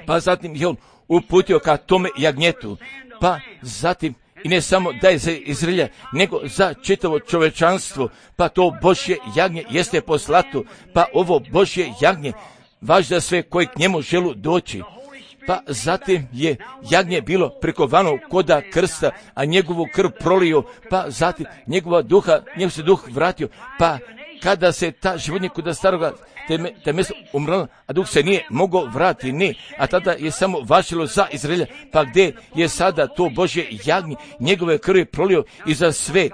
pa zatim je on uputio ka tome jagnjetu, pa zatim i ne samo da je za Izraelja, nego za čitavo čovečanstvo, pa to Božje jagnje jeste poslato, pa ovo Božje jagnje važi za sve koji k njemu želu doći. Pa zatim je jagnje bilo prikovano koda krsta, a njegovu krv prolio, pa zatim njegov se duh vratio, pa kada se ta životinja koda staroga te mjesto umrla, a duh se nije mogao vratiti, ne, a tada je samo važilo za Izraelja, pa gdje je sada to Božje jagnje, njegove krvi prolio i za sve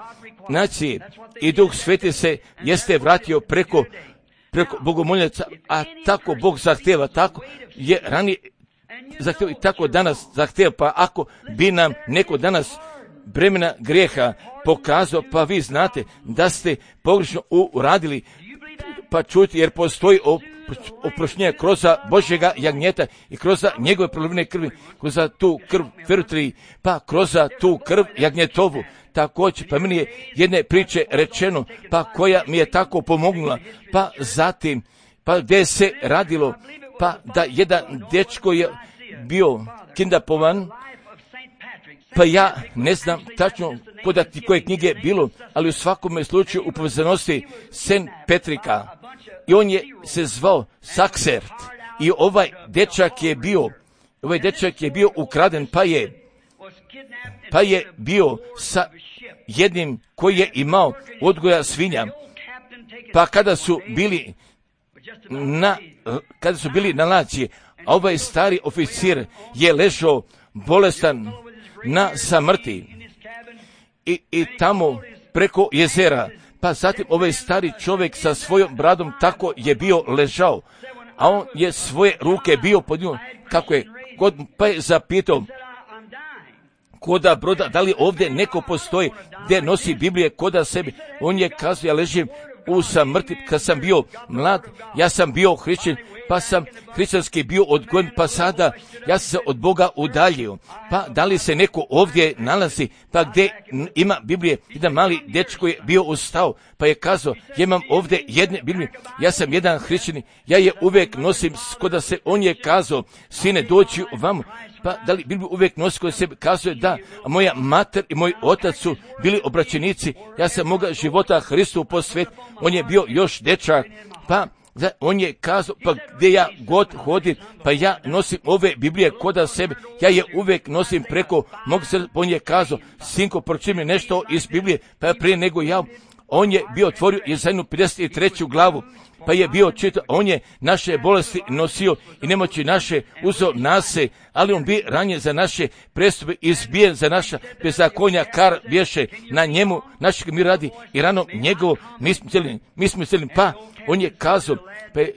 nacije, i Duh Sveti se jeste vratio preko bogomoljaca, a tako Bog zahtjeva, tako je ranije zahtjeva i tako danas zahtjeva, pa ako bi nam neko danas bremena grijeha pokazao, pa vi znate da ste pogrešno uradili, pa čujte, jer postoji oproštenja kroz Božjega jagnjeta i kroz njegove prolivene krvi, kroz tu krv Ferutri, pa kroz tu krv jagnjetovu. Također, pa meni je jedne priče rečeno, pa koja mi je tako pomognula, pa zatim, pa gdje se radilo, pa da jedan dečko je bio kindapovan, pa ja ne znam tačno koje knjige je bilo, ali u svakome slučaju u povezanosti St. Petrika. I on je se zvao Saksert. I ovaj dečak je bio ukraden, pa je bio sa jednim koji je imao odgoja svinja. Pa kada su bili na laci, a ovaj stari oficir je ležao bolestan na samrti i tamo preko jezera. Pa zatim ovaj stari čovjek sa svojom bradom tako je bio ležao, a on je svoje ruke bio podignuo, kako je god, pa je zapitao koda broda, da li ovdje neko postoji gdje nosi Biblije koda sebi. On je kazao, ja ležim u samrti, kad sam bio mlad, ja sam bio hrišćan, pa sam hrišćanski bio odgojen, pa sada ja sam se od Boga udaljio. Pa da li se neko ovdje nalazi, pa gdje ima Biblije? Jedan mali dečko je bio ustao, pa je kazao, ja imam ovdje jedne Biblije, ja sam jedan hrišćanin, ja je uvijek nosim, koda se, on je kazao, sine doći vamo. Pa da li Bibliju uvijek nosi koji se kazuje da, a moja mater i moj otac su bili obraćenici, ja sam moga života Hristu posvetiti. On je bio još dečak, pa on je kazao, pa gdje ja god hodim, pa ja nosim ove Biblije koda sebe, ja je uvijek nosim preko mog srca. On je kazao, sinko, pročiti mi nešto iz Biblije, pa prije nego ja, on je bio otvorio Jesainu 53. glavu, pa je bio čitao, on je naše bolesti nosio i nemoći naše uzeo nase, ali on bi ranjen za naše prestupe, izbijen za naša bezakonja, kar bješe na njemu, našeg mi radi i rano njegovo, mi smo cijeli, pa on je kazao, pa je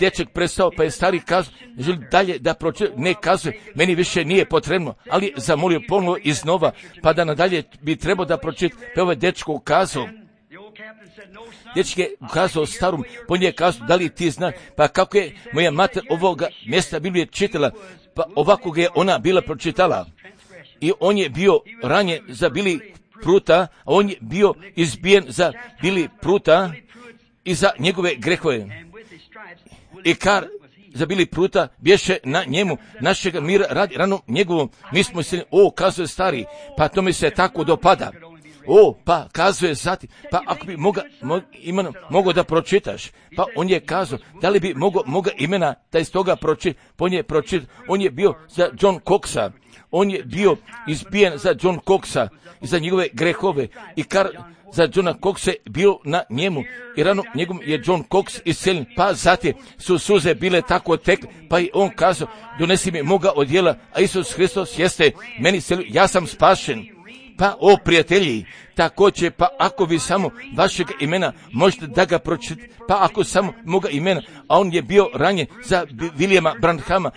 dečak prestao, pa je stari kazao, želi dalje da pročita, ne kazuje, meni više nije potrebno, ali zamolio ponovo iznova, pa da nadalje bi trebao da pročita, pa ovaj dečko kazao, dječak je ukazao starom, po njej kazao, da li ti znaš, pa kako je moja mater ovoga mjesta Biblije čitala, pa ovako ga je ona bila pročitala. I on je bio ranjen za bili pruta, a on je bio izbijen za bili pruta i za njegove grehove. I kar za bili pruta bješe na njemu, našega mira radi rano njegovom, mi smo se, kazuje stari, pa to mi se tako dopada. Pa kazuje zatim, pa ako bi mogao da pročitaš, pa on je kazao, da li bi moga imena da iz toga pročita, on je bio za John Coxa, on je bio izbijen za John Coxa i za njegove grehove i kar za Johna Coxa je bio na njemu i rano njegom je John Cox isceljen, pa zatim su suze bile tako tekle, pa i on kazao, donesi mi moga odjela, a Isus Hristos jeste meni isceljen, ja sam spašen. Pa, prijatelji, također, pa ako vi samo vašeg imena možete da ga pročitate, pa ako samo moga imena, a on je bio ranjen za Williama Branhama,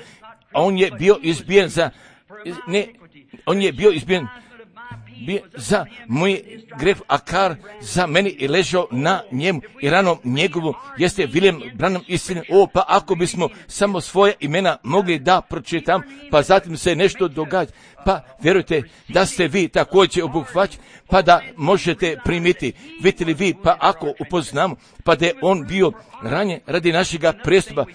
a on je bio izbijen za moj greh, a kar za meni je ležao na njemu i ranom njegovu jeste William Branham istine. Pa ako bismo samo svoje imena mogli da pročitam, pa zatim se nešto događa, pa vjerujte da ste vi također obuhvaćeni, pa da možete primiti. Vidite li vi, pa ako upoznamo, pa da je on bio ranjen radi našega prestupa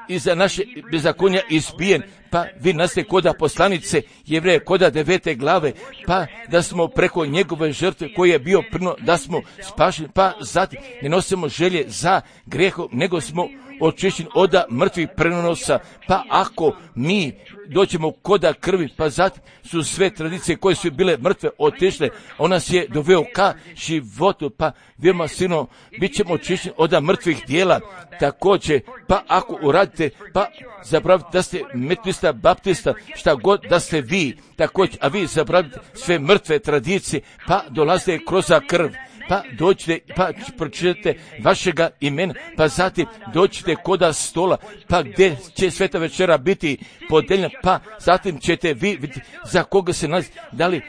i za naše bezakonja izbijen, pa vi naste koda poslanice Jevreje koda 9. glave, pa da smo preko njegove žrtve koji je bio prno, da smo spašeni, pa zatim ne nosimo želje za grehom, nego smo očišćeni od mrtvih prenosa, pa ako mi dođemo koda krvi, pa zatim su sve tradicije koje su bile mrtve otišle, on nas je doveo ka životu, pa vjerujemo sino, bit ćemo očišćeni od mrtvih dijela. Također, pa ako uradite, pa zapravite da ste metodista, baptista, šta god da ste vi, također, a vi zapravite sve mrtve tradicije, pa dolazite kroz krv, pa dođite, pa pročitate vašega imena, pa zatim dođite koda stola, pa gdje će sveta večera biti podeljena, pa zatim ćete vi vidjeti za koga se nalazi, da li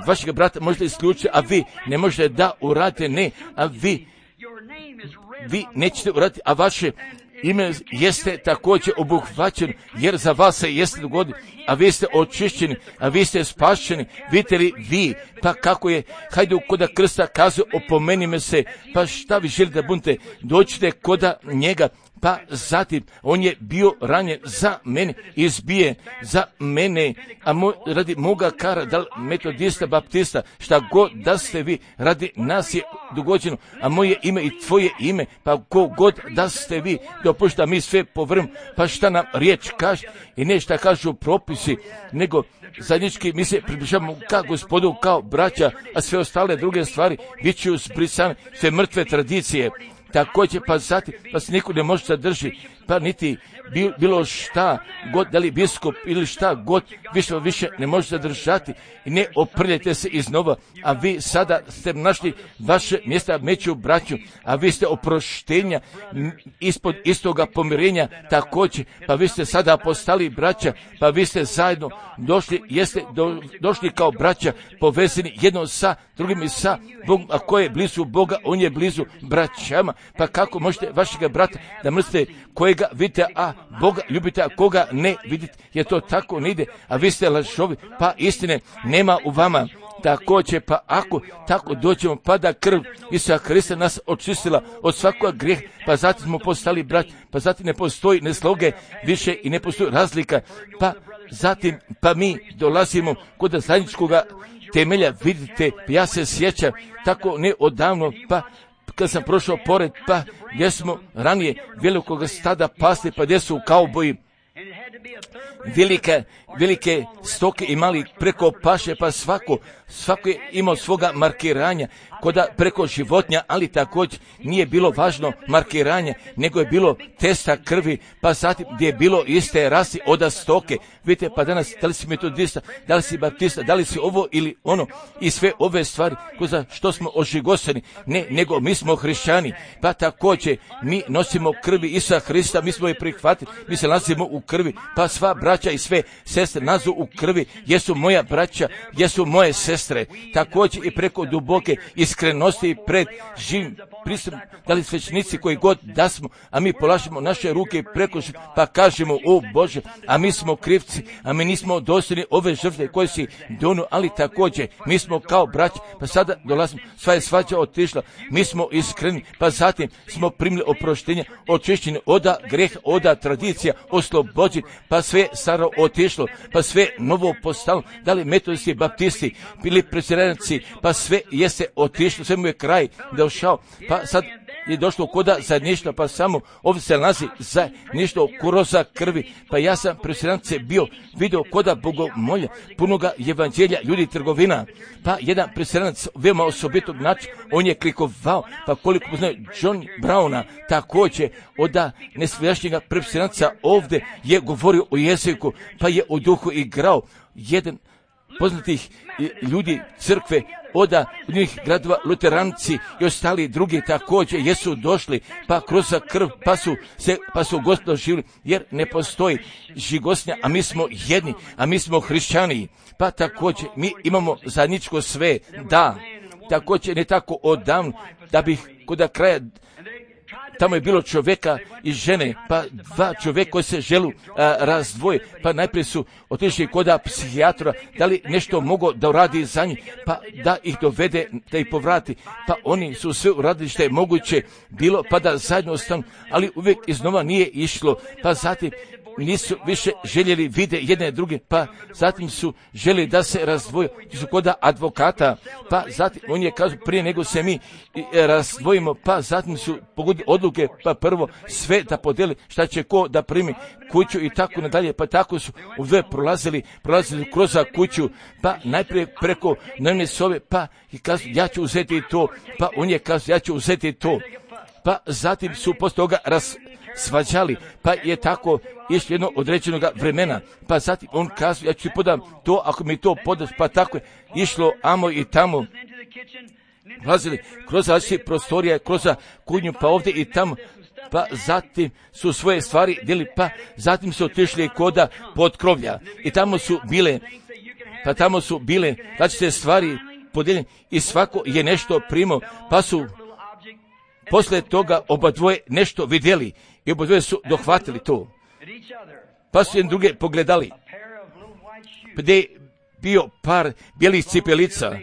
vašega brata možete isključiti, a vi ne možete da uradite, ne, a vi nećete uraditi, a vaše ime jeste također obuhvaćen, jer za vas se jeste dogodilo, a vi ste očišćeni, a vi ste spašeni. Vidite li vi, pa kako je Hajduk koda krsta kazao, opomeni me se, pa šta vi želite da budete, dođite koda njega. Pa zatim, on je bio ranjen za mene, izbije za mene, a radi moga kara, da li metodista, baptista, šta god da ste vi, radi nas je dogođeno, a moje ime i tvoje ime, pa ko god da ste vi, dopušta mi sve povrm, pa šta nam riječ kaže, i ne šta kažu propisi, nego zajednički mi se približavamo kao Gospodu, kao braća, a sve ostale druge stvari biću zbrisane, sve mrtve tradicije. Također, pa zatim, pa se niko ne može zadrži, pa niti bilo šta god, da li biskup ili šta god, više ne može zadržati i ne oprljajte se iznova, a vi sada ste našli vaše mjesta među braću, a vi ste oproštenja ispod istoga pomirenja također, pa vi ste sada postali braća, pa vi ste zajedno došli, jeste došli kao braća, povezani jedno sa drugim i sa Bogom, a ko je blizu Boga, on je blizu braćama, pa kako možete vašega brata da mrzite kojega vidite, a Boga ljubite, a koga ne vidite, jer to tako ne ide, a vi ste lažovi, pa istine nema u vama. Također, pa ako tako dođemo, pa da krv Isusa Hrista nas očistila od svakog grijeha, pa zatim smo postali brat, pa zatim ne postoji nesloge više i ne postoji razlika, pa zatim, pa mi dolazimo kod zajedničkoga temelja, vidite, ja se sjećam tako ne odavno, pa kad sam prošao pored, pa gdje smo ranije velikog stada pasli, pa gdje su kauboji, velike stoke imali preko paše, pa svako je imao svoga markiranja, koda preko životinja, ali također nije bilo važno markiranje, nego je bilo testa krvi, pa zatim gdje je bilo iste rasi oda stoke. Vidite, pa danas, da li si metodista, da li si baptista, da li si ovo ili ono, i sve ove stvari, za što smo ožigoseni, ne, nego mi smo hrišćani, pa također mi nosimo krvi Isusa Hrista, mi smo je prihvatili, mi se nalazimo u krvi, pa sva braća i sve sestre nazu u krvi, jesu moja braća, jesu moje sestre, također i preko duboke iskrenosti pred živim pristupom, da li svećenici koji god da smo, a mi polažemo naše ruke preko, pa kažemo, o Bože, a mi smo krivci, a mi nismo dosljedni ove žrtve koje si donio, ali također mi smo kao braći, pa sada dolazimo, sva je svađa otišla, mi smo iskreni, pa zatim smo primili oproštenje, očišćeni oda greha, oda tradicija, oslobođeni, pa sve staro otišlo, pa sve novo postalo, da li metodisti, baptisti, bili presjedanici, pa sve jeste otišlo, sve mu je kraj došao, pa sad je došlo koda zajedništva, pa samo ovdje se nalazi zajedništvo kuroza krvi, pa ja sam presjedanice bio vidio koda bogomolja, punoga evanđelja, ljudi trgovina, pa jedan presjedanac veoma osobitog načina, on je klikovao, pa koliko poznaju John Browna, također oda nesvjašnjega presjedanca ovdje je govorio o jeziku, pa je u duhu igrao, jedan poznatih ljudi crkve oda njih gradova luteranci i ostali drugi također jesu došli, pa kroz krv pa su Gospod živjeli, jer ne postoji žigosnja, a mi smo jedni, a mi smo hrišćani, pa također mi imamo zajedničko sve, da, također ne tako odavno, da bih kod kraja tamo je bilo čovjeka i žene, pa dva čovjeka koji se želu razdvoje, pa najprije su otišli kod psihijatra, da li nešto mogo da uradi za njih, pa da ih dovede, da ih povrati, pa oni su sve uradili što je moguće bilo, pa da zajedno ostanu, ali uvijek iznova nije išlo, pa zatim nisu više željeli vide jedne druge, pa zatim su željeli da se razdvoje, su kod advokata, pa zatim on je kazao prije nego se mi razdvojimo, pa zatim su pogodili odluke, pa prvo sve da podeli šta će ko da primi kuću i tako nadalje, pa tako su ovdje prolazili kroz kuću, pa najprije preko dnevne sobe, pa i kazao ja ću uzeti to, pa on je kazao ja ću uzeti to, pa zatim su poslije toga svađali, pa je tako išlo jedno određenog vremena, pa zatim on kazao ja ću ti podam to ako mi to podaš, pa tako je išlo amo i tamo, ulazili kroz različite prostorije, kroz kuhinju, pa ovdje i tamo, pa zatim su svoje stvari deli, pa zatim su otišli koda potkrovlja i tamo su bile različite stvari podijeljene i svako je nešto primao, pa su poslije toga oba dvoje nešto vidjeli i obodvoje su dohvatili to, pa su jedan druge pogledali, gdje je bio par bijelih cipelica,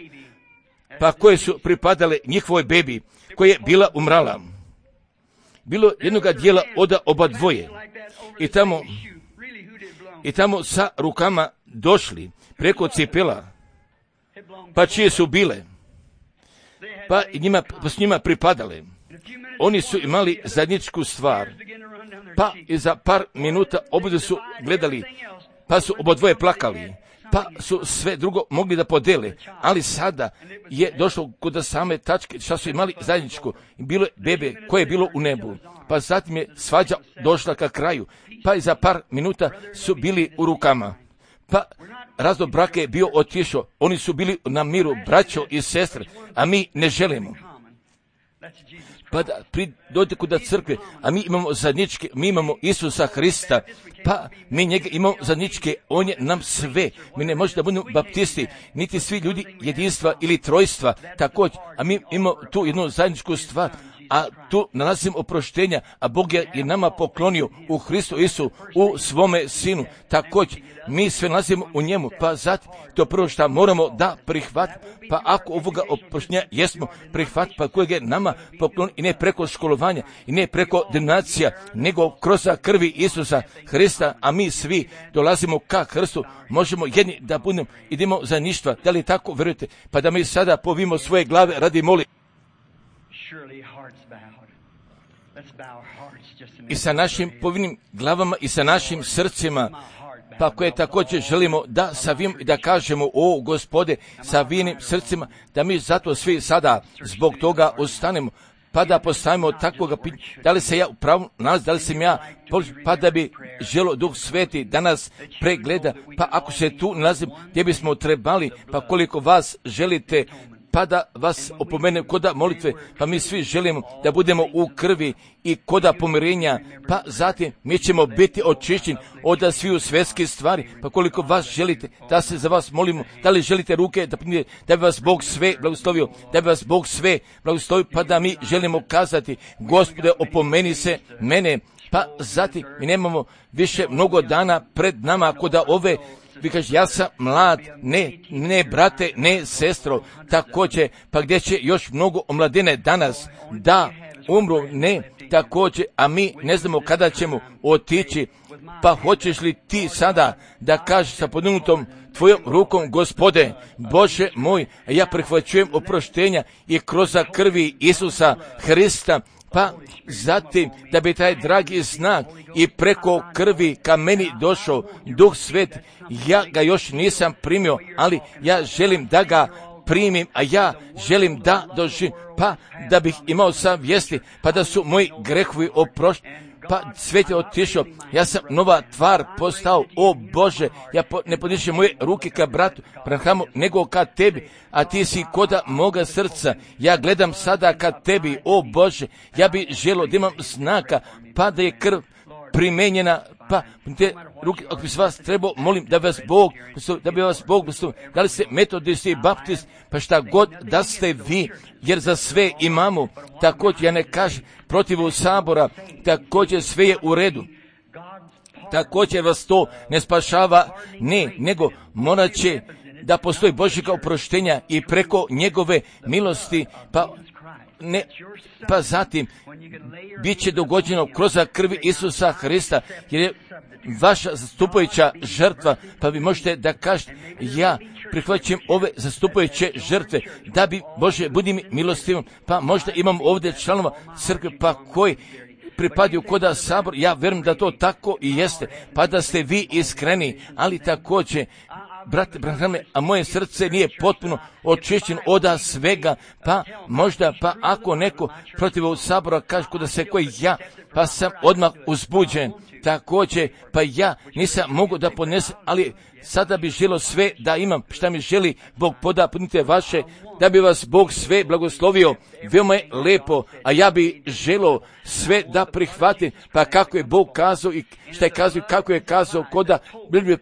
pa koje su pripadale njihovoj bebi, koja je bila umrala. Bilo jednoga dijela od oba dvoje i tamo sa rukama došli preko cipela, pa čije su bile, pa s njima pripadale. Oni su imali zajedničku stvar, pa i za par minuta oboje su gledali, pa su obodvoje plakali, pa su sve drugo mogli da podele, ali sada je došlo kod same tačke šta su imali zajedničko. Bilo je bebe koje je bilo u nebu, pa zatim je svađa došla ka kraju, pa i za par minuta su bili u rukama, pa razlog braka je bio otišao, oni su bili na miru, braćo i sestre, a mi ne želimo. Pa da dođe kod crkve, a mi imamo zajedničke, mi imamo Isusa Hrista, pa mi njega imamo zajedničke, on je nam sve. Mi ne možemo da budemo baptisti, niti svi ljudi jedinstva ili trojstva, također, a mi imamo tu jednu zajedničku stvar, a tu nalazimo oproštenja, a Bog je nama poklonio u Hristu Isu, u svome Sinu. Također, mi sve nalazimo u njemu, pa zatim to prvo što moramo da prihvatimo, pa ako ovoga oproštenja jesmo prihvatiti, pa kojeg je nama poklonio i ne preko školovanja, i ne preko denominacija, nego kroz krvi Isusa Hrista, a mi svi dolazimo ka Hrstu, možemo jedni da budemo, idemo za ništa. Da li tako verujete? Pa da mi sada povimo svoje glave radi molitve. I sa našim povinim glavama i sa našim srcima, pa koje također želimo da savim i da kažemo, o Gospode, sa vinim srcima, da mi zato svi sada zbog toga ostanemo, pa da postavimo takvoga pitanja, da li se ja upravo nalazim, da li sam ja, pa da bi želo Duh Sveti da nas pregleda, pa ako se tu nalazim gdje bismo trebali, pa koliko vas želite, pa da vas opomenem koda molitve, pa mi svi želimo da budemo u krvi i koda pomirenja, pa zatim mi ćemo biti očišćeni od sviju svjetskih stvari, pa koliko vas želite da se za vas molimo, da li želite ruke da bi vas Bog sve blagoslovio, da bi vas Bog sve blagoslovio, pa da mi želimo kazati, Gospode, opomeni se mene, pa zatim mi nemamo više mnogo dana pred nama koda ove. Vi kaže, ja sam mlad, ne brate, ne sestro, također, pa gdje će još mnogo omladine danas da umru, ne, također, a mi ne znamo kada ćemo otići, pa hoćeš li ti sada da kažeš sa podignutom tvojom rukom, Gospode, Bože moj, ja prihvaćujem oproštenja i kroz krvi Isusa Hrista, pa zatim da bi taj dragi znak i preko krvi ka meni došao Duh Svet, ja ga još nisam primio, ali ja želim da ga primim, a ja želim da doživim, pa da bih imao savjesti, pa da su moji grehovi oprošteni, pa svet je otišao, ja sam nova tvar postao, o Bože, ja ne podišem moje ruke ka bratu Branhamu, nego ka tebi, a ti si koda moga srca, ja gledam sada ka tebi, o Bože, ja bi želio da imam znaka, pa da je krv primenjena, pa te ruke, ako bi se vas trebao, molim da bi vas Bog, da li ste metodisti i baptist, pa šta god da ste vi, jer za sve imamo, također ja ne kažem protiv sabora, također sve je u redu, također vas to ne spašava, ne, nego morat će da postoji Božjega oproštenja i preko njegove milosti, pa zatim bit će dogođeno kroz krvi Isusa Hrista, jer je vaša zastupajuća žrtva, pa vi možete da kažete, ja prihvaćam ove zastupajuće žrtve, da bi, Bože, budi mi milostivom, pa možda imam ovdje članova crkve, pa koji pripadaju koda sabor, ja vjerujem da to tako i jeste, pa da ste vi iskreni, ali također, brate Branhame, a moje srce nije potpuno očišćeno od svega, pa možda, pa ako neko protiv ovog sabora kaže kuda se koji ja, pa sam odmah uzbuđen, također, pa ja nisam mogu da podnesem, ali sada bi želio sve da imam, šta mi želi Bog podapnite vaše, da bi vas Bog sve blagoslovio, veoma je lepo, a ja bi želio sve da prihvatim, pa kako je Bog kazao i šta je kazao i kako je kazao koda,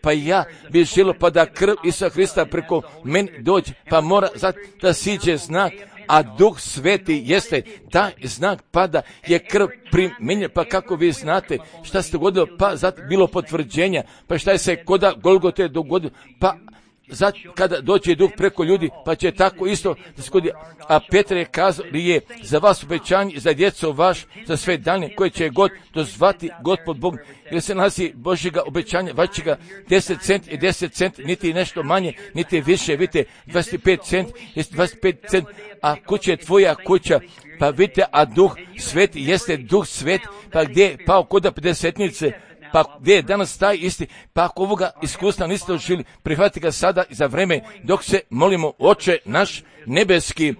pa ja bi želio pa da krv Isusa Hrista preko meni dođe, pa mora da siđe znak, a Duh Sveti jeste taj znak, pa da je krv primjenjena, pa kako vi znate šta se dogodilo, pa zatim bilo potvrđenja, pa šta je se koda Golgote dogodilo, pa kada dođe Duh preko ljudi, pa će tako isto da se godi. A Petar je kazao je za vas obećanje, za djecu vaš, za sve dane koje će god dozvati Gospod Bog, jer se nalazi Božjega obećanja, vašega 10 cent i 10 cent, niti nešto manje, niti više, vidite, 25 cent, 25 cent, a kuća je tvoja kuća, pa vidite, a Duh Sveti jeste Duh Svet, pa gdje je pao koda 50-nice, pa gdje je danas taj isti, pa ako ovoga iskustva niste doživjeli, prihvati ga sada i za vreme dok se molimo, Oče naš nebeski,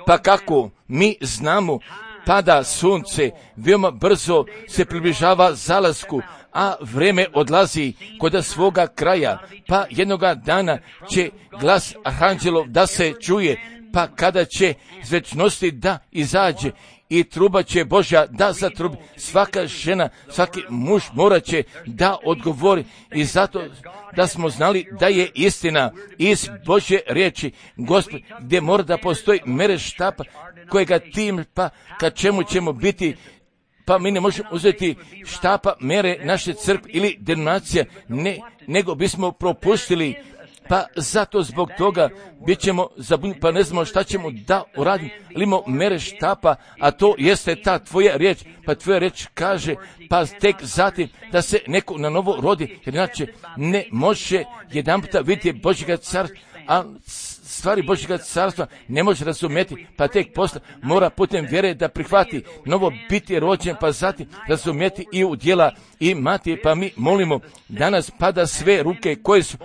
pa kako mi znamo, pada sunce, veoma brzo se približava zalasku, a vreme odlazi kod svoga kraja, pa jednoga dana će glas arhanđelov da se čuje, pa kada će iz večnosti da izađe, i truba će Božja da zatrubi, svaka žena, svaki muž morat će da odgovori, i zato da smo znali da je istina iz Božje riječi, Gospod, gdje mora da postoji mere štapa kojega tim, pa ka čemu ćemo biti, pa mi ne možemo uzeti štapa mere naše crkve ili denominacija, nego bismo propustili, pa zato zbog toga bit ćemo zabunjeni, pa ne znamo šta ćemo da uradimo, ali imamo mere štapa, a to jeste ta tvoja riječ, pa tvoja riječ kaže, pa tek zatim da se neko na novo rodi, jer inače ne može jedan puta vidjeti Božjega carstva, a stvari Božjega carstva ne može razumjeti, pa tek posle mora putem vjere da prihvati novo biti rođen, pa zatim razumjeti i u djela imati, pa mi molimo danas pada sve ruke koje su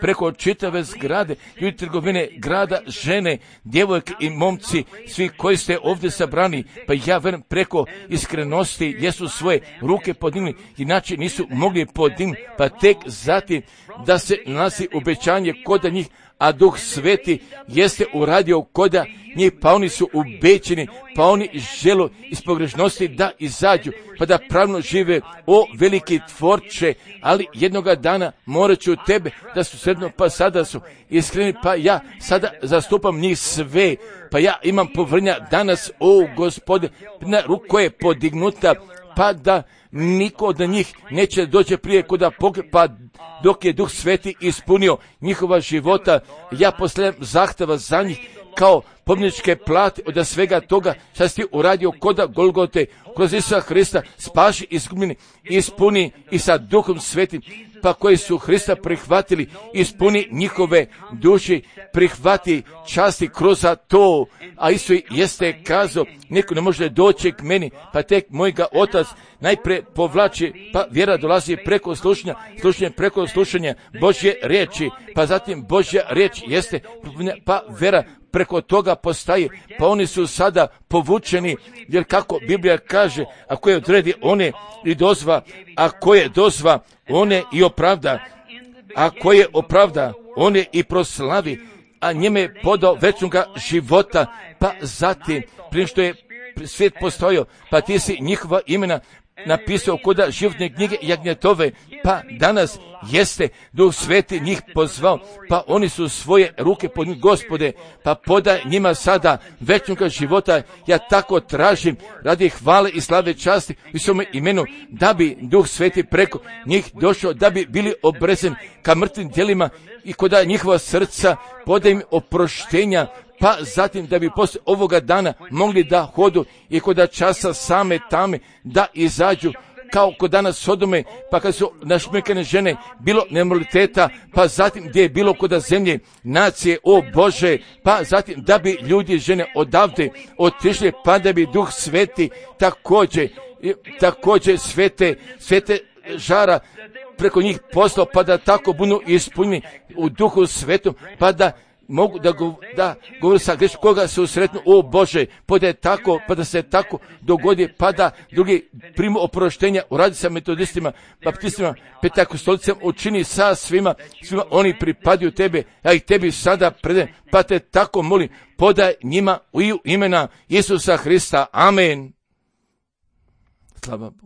preko čitave zgrade, ljudi trgovine grada, žene, djevojke i momci, svi koji ste ovdje sabrani, pa ja verujem preko iskrenosti jesu svoje ruke podigli, inače nisu mogli podignuti, pa tek zatim da se nalazi obećanje kod njih, a Duh Sveti jeste uradio koda njih, pa oni su ubećeni, pa oni žele iz pogrešnosti da izađu, pa da pravno žive, o veliki Tvorče, ali jednoga dana morat ću tebe da su sredno, pa sada su iskreni, pa ja sada zastupam njih sve, pa ja imam povrnja danas, o Gospode, na ruku koja je podignuta, pa da niko od njih neće doći prije kuda pa dok je Duh Sveti ispunio njihova života, ja postavljam zahteva za njih kao pomničke plate od svega toga što si ti uradio koda Golgote, kroz Isusa Hrista, spaši izgubljeni, ispuni i sa Duhom Svetim, pa koji su Hrista prihvatili, ispuni njihove duši, prihvati časti kroz to, a Isus jeste kazao, niko ne može doći k meni, pa tek mojega Otac najprije povlači, pa vjera dolazi preko slušanja, slušanje preko slušanja Božje riječi, pa zatim Božja riječ jeste, pa vjera preko toga postaje, pa oni su sada povučeni, jer kako Biblija kaže, ako je odredi one i dozva, ako je dozva one i opravda, ako je opravda one i proslavi, a njime je podao večnoga života, pa zatim, prije što je svijet postojao, pa ti si njihova imena napisao koda životne knjige jagnjetove, pa danas jeste Duh Sveti njih pozvao, pa oni su svoje ruke pod njih, Gospode, pa podaj njima sada večnoga života, ja tako tražim radi hvale i slave časti u svome imenu, da bi Duh Sveti preko njih došao, da bi bili obrezeni ka mrtvim djelima i koda njihova srca podaj im oproštenja, pa zatim da bi poslije ovoga dana mogli da hodu i koda časa same tame da izađu, kao kod danas Sodome, pa kad su našmekane žene bilo nemoraliteta, pa zatim gdje je bilo koda zemlje nacije, o Bože, pa zatim da bi ljudi žene odavde otišli, pa da bi Duh Sveti također svete žara preko njih poslao, pa da tako budu ispunjeni u Duhu Svetom, pa da mogu da govori sa greškom koga se usretnu, o Bože, pa da se tako dogodi, pa da drugi primu oproštenja, uradi sa metodistima, baptistima, pentakostolicama, učini sa svima oni pripadaju tebe, ja ih tebi sada predajem, pa te tako molim, podaj njima u imena Isusa Hrista, amen. Slava Bogu.